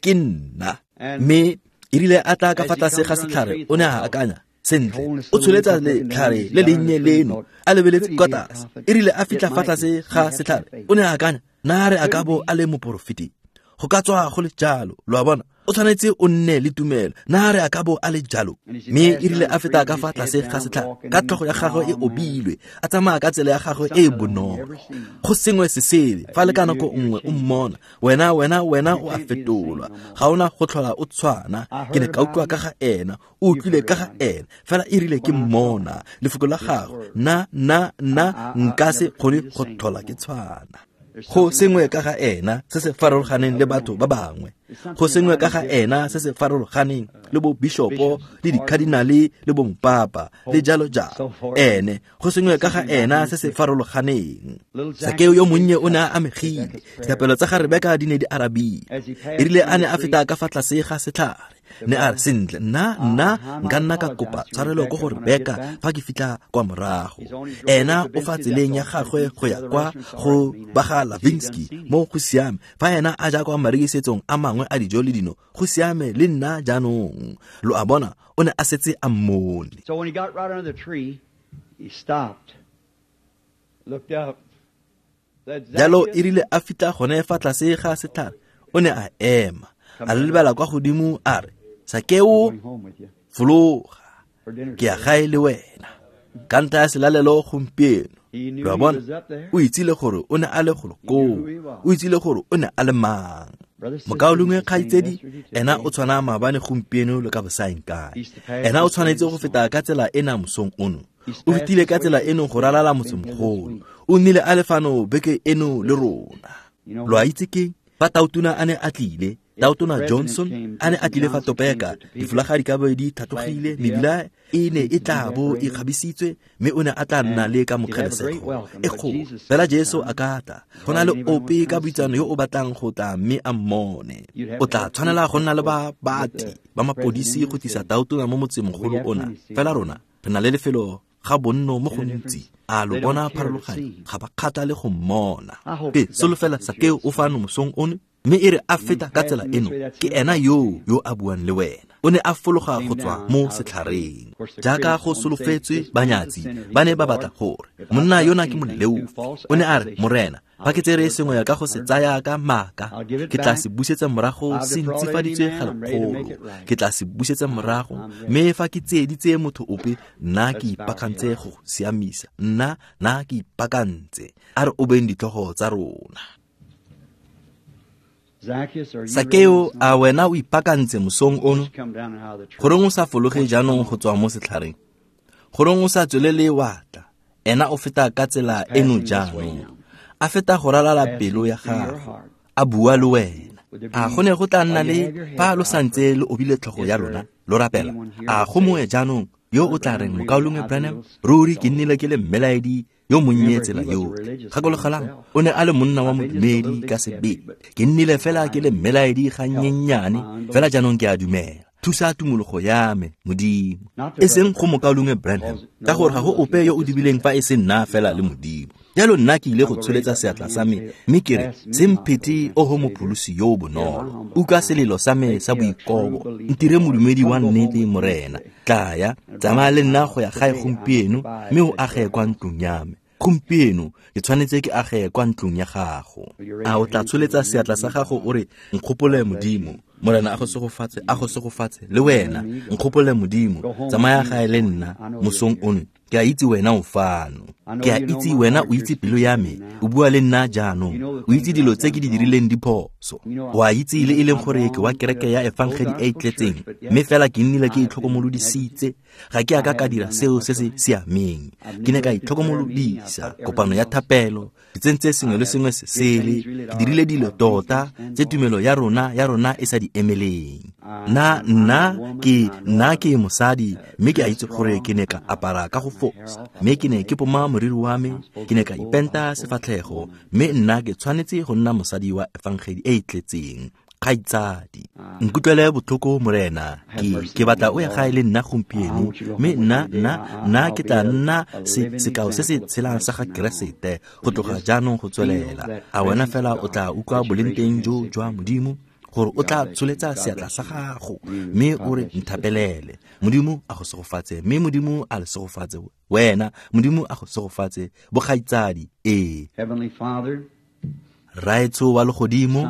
Speaker 1: ke nna. Mme erile a tla ka fa tlase ga setlhare, o ne a akanya, sentle, o tsholetsa letlhare le lennye leno, a lebeletse kwa tlase. Erile a fitlha fa tlase ga setlhare, o ne a akanya, na re a ka bo a le moporofeti? Go ka tswa go le jalo, lo a bona, o tshwanetse o nne le tumelo, na re a ka bo a le jalo. Mme erile a feta ka fa tlase ga setlhare, ka tlhogo ya gagwe e obilwe, a tsamaya ka tsela ya gagwe e e bonolo. Go sengwe se sele, fa le ka nako nngwe o mmona, wena o a fetolwa, ga ona go tlhola o tshwana. Ke ne ka utlwa ka ga ena, o utlwile ka ga ena, fela erile ke mmona lefoko la gagwe, nna nka se kgone go tlhola ke tshwana. Go sengwe ka ga ena se se farologaneng le batho ba bangwe. Go sengwe ka ga ena se se farologaneng le bo bishopo le dikadinale le bo mopapa le jalo jalo. Ene go sengwe ka ga ena se se farologaneng. Sakeo yo monnye o ne a amegile. Dithapelo tsa ga Rebeka di ne di arabile. Erile a ne a feta ka fa tlase ga setlhare, ne a re, sentle, nna nka nna ka kopa tshwarelo ko go Rebeka fa ke fitlha kwa morago. Ena o fa tseleng ya gagwe go ya kwa go ba ga Lavinsky, mo go siame. Fa ena a ja kwa marekisetsong a mangwe a dijo le dino, go siame le nna jaanong. Lo a bona, o ne a setse a mmone.
Speaker 2: So when he got right under the tree, he stopped, looked up.
Speaker 1: Jalo erile a fitlha gone fa tlase ga setlhare, o ne a ema, a lebela kwa godimo, a re, Sakeo, fologa, ke ya gae le wena ka ntlha ya selalelo gompieno. Lo a bona, o itsile gore o ne a le golo koo, o itsile gore o ne a le mang. Mokaulengwe kgaitsedi, ena o tshwana maabane gompieno le ka bosaeng kae. Ena o tshwanetse go feta ka tsela ena mosong ono. O fetile ka tsela eno go ralala motsemogolo. O nnile a le fano beke eno le rona. Lo a itse ke fa Tautona a ne a tlile, Tautona Johnson a ne a tlile fa Topeka, difolaga di ka bo di tlhatlogile, mebila e ne e tla bo e kgabisitswe, mme o ne a tla nna le ka mokgelesego e kgolo. Fela Jesu a ka tla, go na le ope ka boitsano yo o batlang go tla mme a mmone. O tla tshwanela go nna le babati ba mapodisi go tlisa Tautona mo motsemogolo ona. Fela rona re na le lefelo ga bonno mo gontsi. A lo bona pharologanyo? Ga ba kgathale go mmona. Ke solofela Sakeo o fano mosong ono, mme e re a feta ka tsela eno, ke ena yo a buang le wena. O ne a fologa go tswa mo setlhareng. Jaaka go solofetswe, banyatsi ba ne ba batla gore monna yona ke moleofi. O ne a re, Morena, fa ke tsere sengwe ka go se tsaya ka maaka, ke tla se busetsa morago se ntsifaditswe ga lekgolo. Ke tla se busetsa morago, mme fa ke tsieditse motho ope, nna ke ipaakantse go siamisa. Nna ke ipaakantse. A re obeng ditlhogo tsa rona. Sakeo, a wena o ipaakantse mosong ono? Goreng o sa fologe jaanong go tswa mo setlhareng? Goreng o sa tswelele wa tla? Ena o feta ka tsela eno jaanong. A feta go ralala pelo ya gago, a bua le wena. A go ne go tla nna le fa lo santse lo obile tlhogo ya lona, lo rapela? A go mongwe jaanong yo o tla reng, Mokaulengwe Branham, ruri ke nnile ke le mmelaedi yo monnye tsela yotlhe. Gakologelang, o ne a le monna wa modumedi ka sebele. Ke nnile fela ke le mmelaedi gannyennyane, fela jaanong ke a dumela. Thusa tumologo ya me, Modimo. E seng go Mokaulengwe Branham, ka gore ga go ope yo o dibileng fa e se nna fela le Modimo. Jalo nna ke ile go tsholetsa seatla sa me, mme ke re, se mphete oho mopholosi yo o bonolo. Utlwa selelo sa me sa boikobo, ntire modumedi wa nnete, Morena. Tlaya, tsamaya le nna go ya gae gompieno, mme o age kwa ntlong ya me. Gompieno ke tshwanetse ke age kwa ntlong ya gago. A o tla tsholetsa seatla sa gago o re, nkgopole Modimo. Morena a go segofatse, a go segofatse le wena. Nkgopole Modimo, tsamaya gae le nna mosong ono. Ke a itse wena o fano. Ke a itse wena o itse pelo ya me. O bua le nna jaanong. O itse dilo tse ke di dirileng diphoso. O a itse le e leng gore ke wa kereke ya efangedi e e tletseng, mme fela ke nnile ke itlhokomolodisitse. Ga ke a ka ka dira seo se se siameng. Ke ne ka itlhokomolodisa kopano ya thapelo, ke tsentse sengwe le sengwe se sele, ke dirile dilo tota tse tumelo ya rona e sa di emeleng. Nna ke mosadi, mme ke a itse gore ke ne ka apara ka go fosa. Mme ke ne ke poma moriri wa me, ke ne ka ipenta sefatlhego, mme nna ke tshwanetse go nna mosadi wa efangedi e e tletseng. Kgaitsadi, nkutlwele botlhoko Morena, ke batla o ya gae le nna gompieno, mme nna ke tla nna sekao se se tshelang sa ga Keresete go tloga jaanong go tswelela. A wena fela o tla utlwa boleng jo jwa Modimo, gore o tla tsholetsa seatla sa gago mme o re nthapelele. Modimo a go segofatse, mme Modimo a le segofatse wena. Modimo a go segofatse, bokgaitsadi. Ee. Raetsho wa legodimo,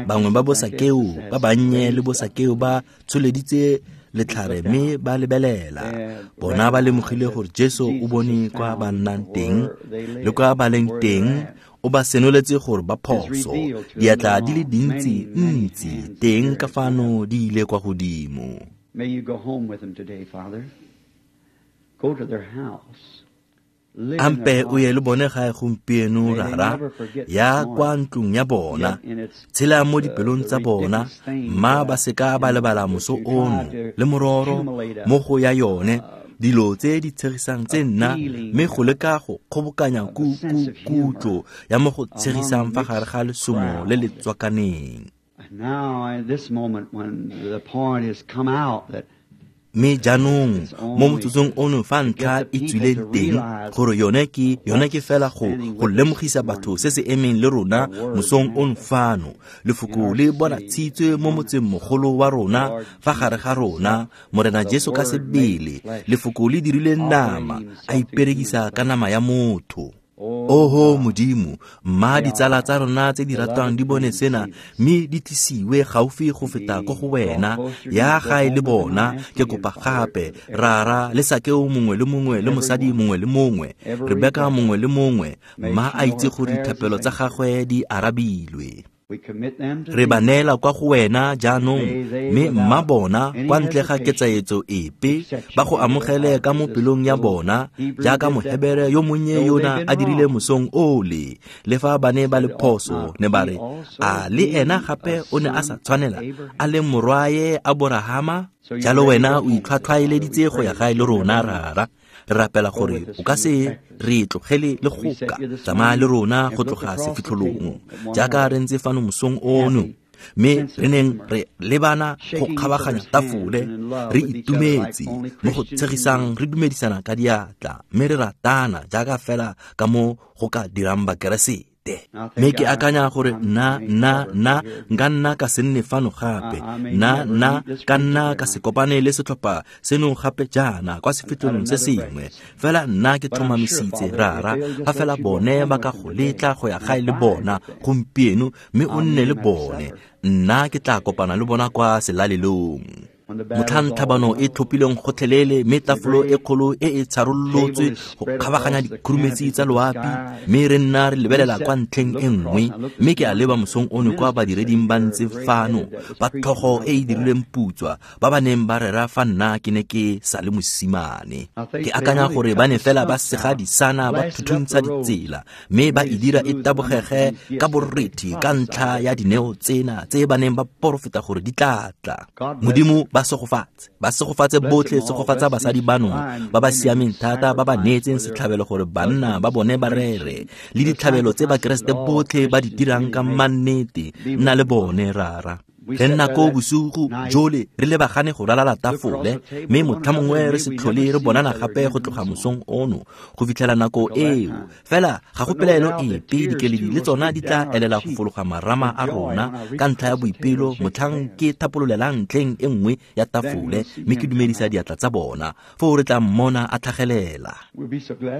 Speaker 1: bangwe ba bosakeo ba bannye le bosakeo ba tsholeditse letlhare mme ba lebelela. Bona ba lemogile gore Jesu o bone kwa ba nnang teng le kwa ba leng teng, o ba senoletse gore ba phoso. Diatla di le dintsi ntsi teng ka fano di ile kwa godimo.
Speaker 2: May you go home with them today, Father. Go to their house.
Speaker 1: Ampe o ye le bone gae gompieno, Rara, ya kwa ntlong ya bona, tshela mo dipelong tsa bona, mma ba seka ba lebala moso ono le mororo mo go ya yone dilo tse di tshegisang tse nna, mme go leka go kgobokanya kutlo ya mo go tshegisang fa gare ga lesomo le le tswakaneng. Mme jaanong mo motsotsong ono fa ntlha e tswileng teng gore yone ke fela go lemogisa batho se se emeng le rona mosong ono fano. Lefoko le bonatshitswe mo motseng mogolo wa rona fa gare ga rona, Morena Jesu ka sebele. Lefoko le dirile nama, a iperekisa ka nama ya motho. Oho Modimo, mma ditsala tsa rona tse di ratwang di bone sena, mme di tlisiwe gaufi go feta ko go wena, ya gae le bona. Ke kopa gape, Rara, le Sakeo mongwe le mongwe le mosadi mongwe le mongwe, Rebeka mongwe le mongwe, mma a itse gore dithapelo tsa gagwe di arabilwe. Re ba neela kwa go wena jaanong, mme mma bona kwa ntle ga ketsaetso epe ba go amogele ka mo pelong ya bona, jaaka Mohebere yo monnye yona a dirile mosong ole. Le fa ba ne ba le phoso, ne ba re, a le ena gape o ne a sa tshwanela a le morwae Aborahama? Jalo wena o itlhwatlhwaeleditse go ya gae le rona, Rara. Re rapela gore o ka se re tlogele le goka, tsamaya le rona go tloga sefitlholong jaaka re ntse fano mosong ono, mme re neng re lebana go kgabaganya tafole, re itumetse mo go tshegisang, re dumedisana ka diatla, mme re ratana jaaka fela ka mo go ka dirang Bakeresete. Mme ke akanya gore nna nka nna ka se nne fano gape, nna ka nna ka se kopane le setlhopha seno gape jaana kwa sefitlholong se sengwe. Fela nna ke tlhomamisitse, Rara, fa fela bone ba ka go letla go ya gae le bona gompieno, mme o nne le bone, nna ke tla kopana le bona kwa selalelong. Motlhang tlhabano e tlhophileng gotlhelele, mme tafolo e kgolo e e tsharolotswe go kgabaganya dikhurumetsi tsa loapi, mme re nna re lebelela kwa ntlheng e nngwe. Mme ke a leba mosong ono kwa badireding ba ntse fano, ba tlhogo e e dirilweng putswa, ba ba neng ba rera fa nna ke ne ke sa le mosimane. Ke akanya gore ba ne fela ba sega disana, ba thuthuntsha ditsela, mme ba e dira e tabogege ka borethi ka ntlha ya dineo tsena tse ba neng ba porofeta gore di tla tla. Modimo ba segofatse botlhe, segofatsa basadi bano ba ba siameng thata, ba ba neetseng setlhabelo gore banna ba bone ba rere, le ditlhabelo tse Bakeresete botlhe ba di dirang ka mannete. Nna le bone, Rara. Re nna ko bosigo jole re lebagane go ralala tafole, mme motlha mongwe re se tlhole re bonana gape go tloga mosong ono go fitlhela nako eo. Fela ga go pelaelo epe, dikeledi le tsona di tla elela go fologa marama a rona ka ntlha ya boipelo motlhang ke thapololelang ntlheng e nngwe ya tafole, mme ke dumedisa diatla tsa bona. Foo re tla mmona a tlhagelela.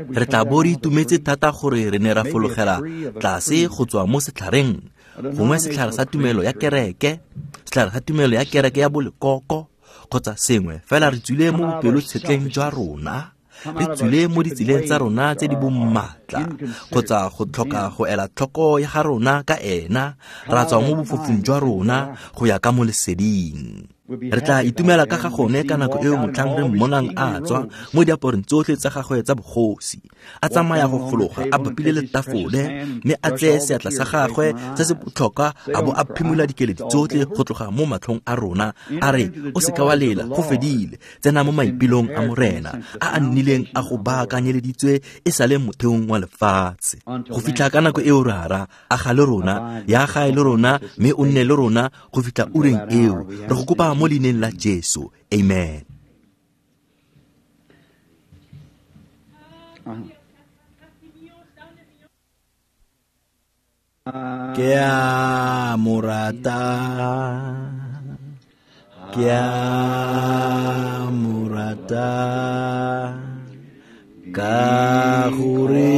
Speaker 1: Re tla bo re itumetse thata gore re ne ra fologela tlase go tswa mo setlhareng, gongwe setlhare sa tumelo ya kereke, setlhare sa tumelo ya kereke ya bolekoko kgotsa sengwe. Fela re tswile mo bopelotshetleng jwa rona, re tswile mo ditseleng tsa rona tse di bommatla, kgotsa go tlhoka go ela tlhoko ya ga rona ka ena, ra tswa mo bofofung jwa rona go ya ka mo leseding. Re tla itumela ka ga gone ka nako eo motlhang re mmonang a tswa mo diaparong tsotlhe tsa gagwe tsa bogosi, a tsamaya go fologa a bapile le tafole, mme a tseye seatla sa gagwe se se botlhokwa a bo a phimola dikeledi tsotlhe go tloga mo matlhong a rona, a re, o seka wa lela, go fedile, tsena mo maipelong a Morena a a nnileng a go baakanyeleditswe e sale motheong wa lefatshe. Go fitlha ka nako eo, Rara, aga le rona, ya gae le rona, mme o nne le rona go fitlha ureng eo. Re go kopa mo leineng la Jesu. Amen. Ke a mo rata, ke a mo rata, ka gore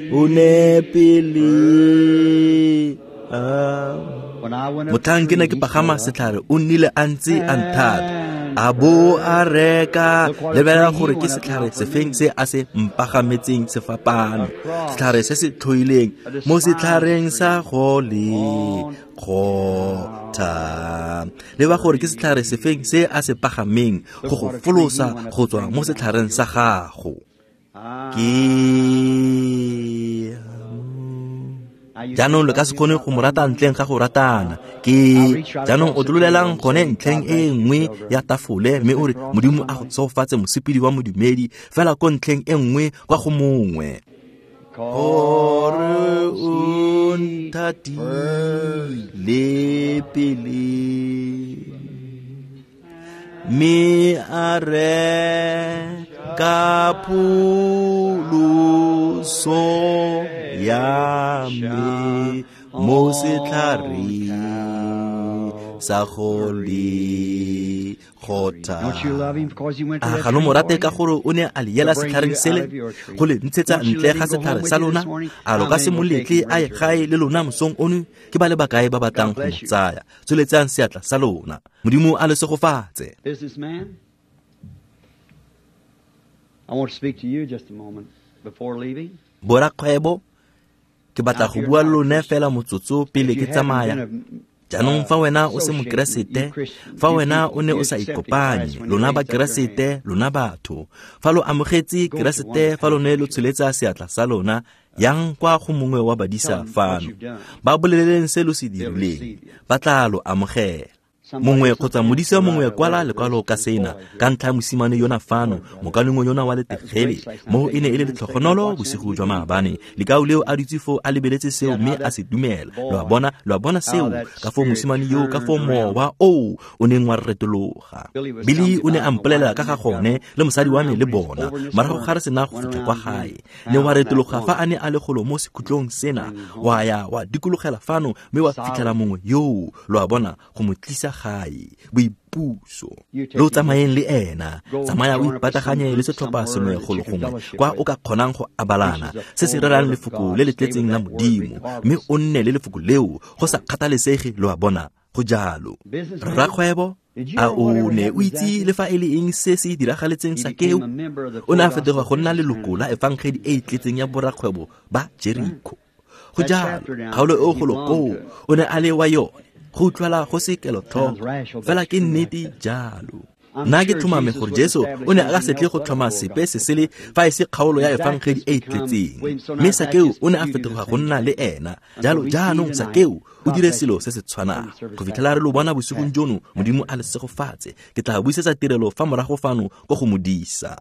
Speaker 1: o ne pele. Motlhang ke ne ke pagama setlhare, o nnile a ntse a nthata, a bo a reka. Lebelela gore ke setlhare sefeng se a se mpagametseng sefapano, setlhare se se tlhoileng mo setlhareng sa go le kgotha. Leba gore ke setlhare sefeng se a se pagameng go go folosa go tswa mo setlhareng sa gago. Ke jaanong lo ka se kgone go mo rata ntleng ga go ratana. Ke jaanong o tlololelang gone ntlheng e nngwe ya tafole, mme o re, Modimo a go tshegofatse mosepedi wa modumedi, fela ko ntlheng e nngwe kwa go mongwe. Gore o nthatile pele, mme a reka pholoso ya me mo setlhareng sa go le kgotha. A ga lo mo rate ka gore o ne a le yela setlhareng sele go le ntshetsa ntle ga setlhare sa lona? A lo ka se mo letle a ye gae le lona mosong ono? Ke ba le bakae ba batlang go mo tsaya? Tsholetsang seatla sa lona. Modimo a le segofatse.
Speaker 2: I want to speak to you just a moment before leaving.
Speaker 1: Borakgwebo, ke batla go bua le lone fela motsotso pele ke tsamaya. Jaanong fa wena o se mokeresete, fa wena o ne o sa ikopanye, lona bakeresete, lona batho, fa lo amogetse Keresete, fa lo ne lo tsholetsa seatla sa lona, yang kwa go mongwe wa badisa fano, ba boleleleng se lo se dirileng, ba tla lo amogela. Mongwe kgotsa modisa mongwe kwala lekwalo ka sena ka ntlha ya mosimane yona fano, mokalengwe yona wa letegele. Mo e ne e le letlhogonolo bosigo jwa maabane, lekau leo a dutse foo a lebeletse seo mme a se dumela. Lo a bona seo, ka foo mosimane yo, ka foo mowa o o neng wa retologa. Billy o ne a mpolelela ka ga gone le mosadi wa me le bona, morago ga re sena go fitlha kwa gae. Ne wa retologa fa a ne a le golo mo sekhutlong sena, wa ya wa dikologela fano mme wa fitlhela mongwe yoo, lo a bona, go mo tlisa gae, boipuso. Lo tsamayeng le ena, tsamaya o ipataganye le setlhopha sengwe golo gongwe kwa o ka kgonang go abalana se se rerang lefoko le le tletseng la Modimo, mme o nne le lefoko leo go sa kgathalesege, lo a bona. Go jalo. Rrakgwebo, a o ne o itse le fa e le eng se se diragaletseng Sakeo? O ne a fetoga go nna leloko la efangedi e e tletseng ya borakgwebo ba Jeriko. Go jalo, kgaolo e golo koo o ne a le wa yone. Go utlwala go se kelotlhoko, fela ke nnete jalo. Nna ke tlhomame gore Jesu o ne a ka se tle go tlhoma sepe se sele fa e se kgaolo ya efangedi e e tletseng. Mme Sakeo o ne a fetoga go nna le ena. Jalo jaanong Sakeo o dire selo se se tshwanang. Go fitlhela re lo bona bosigong jono, Modimo a le segofatse. Ke tla buisetsa tirelo fa morago fano ko go modisa.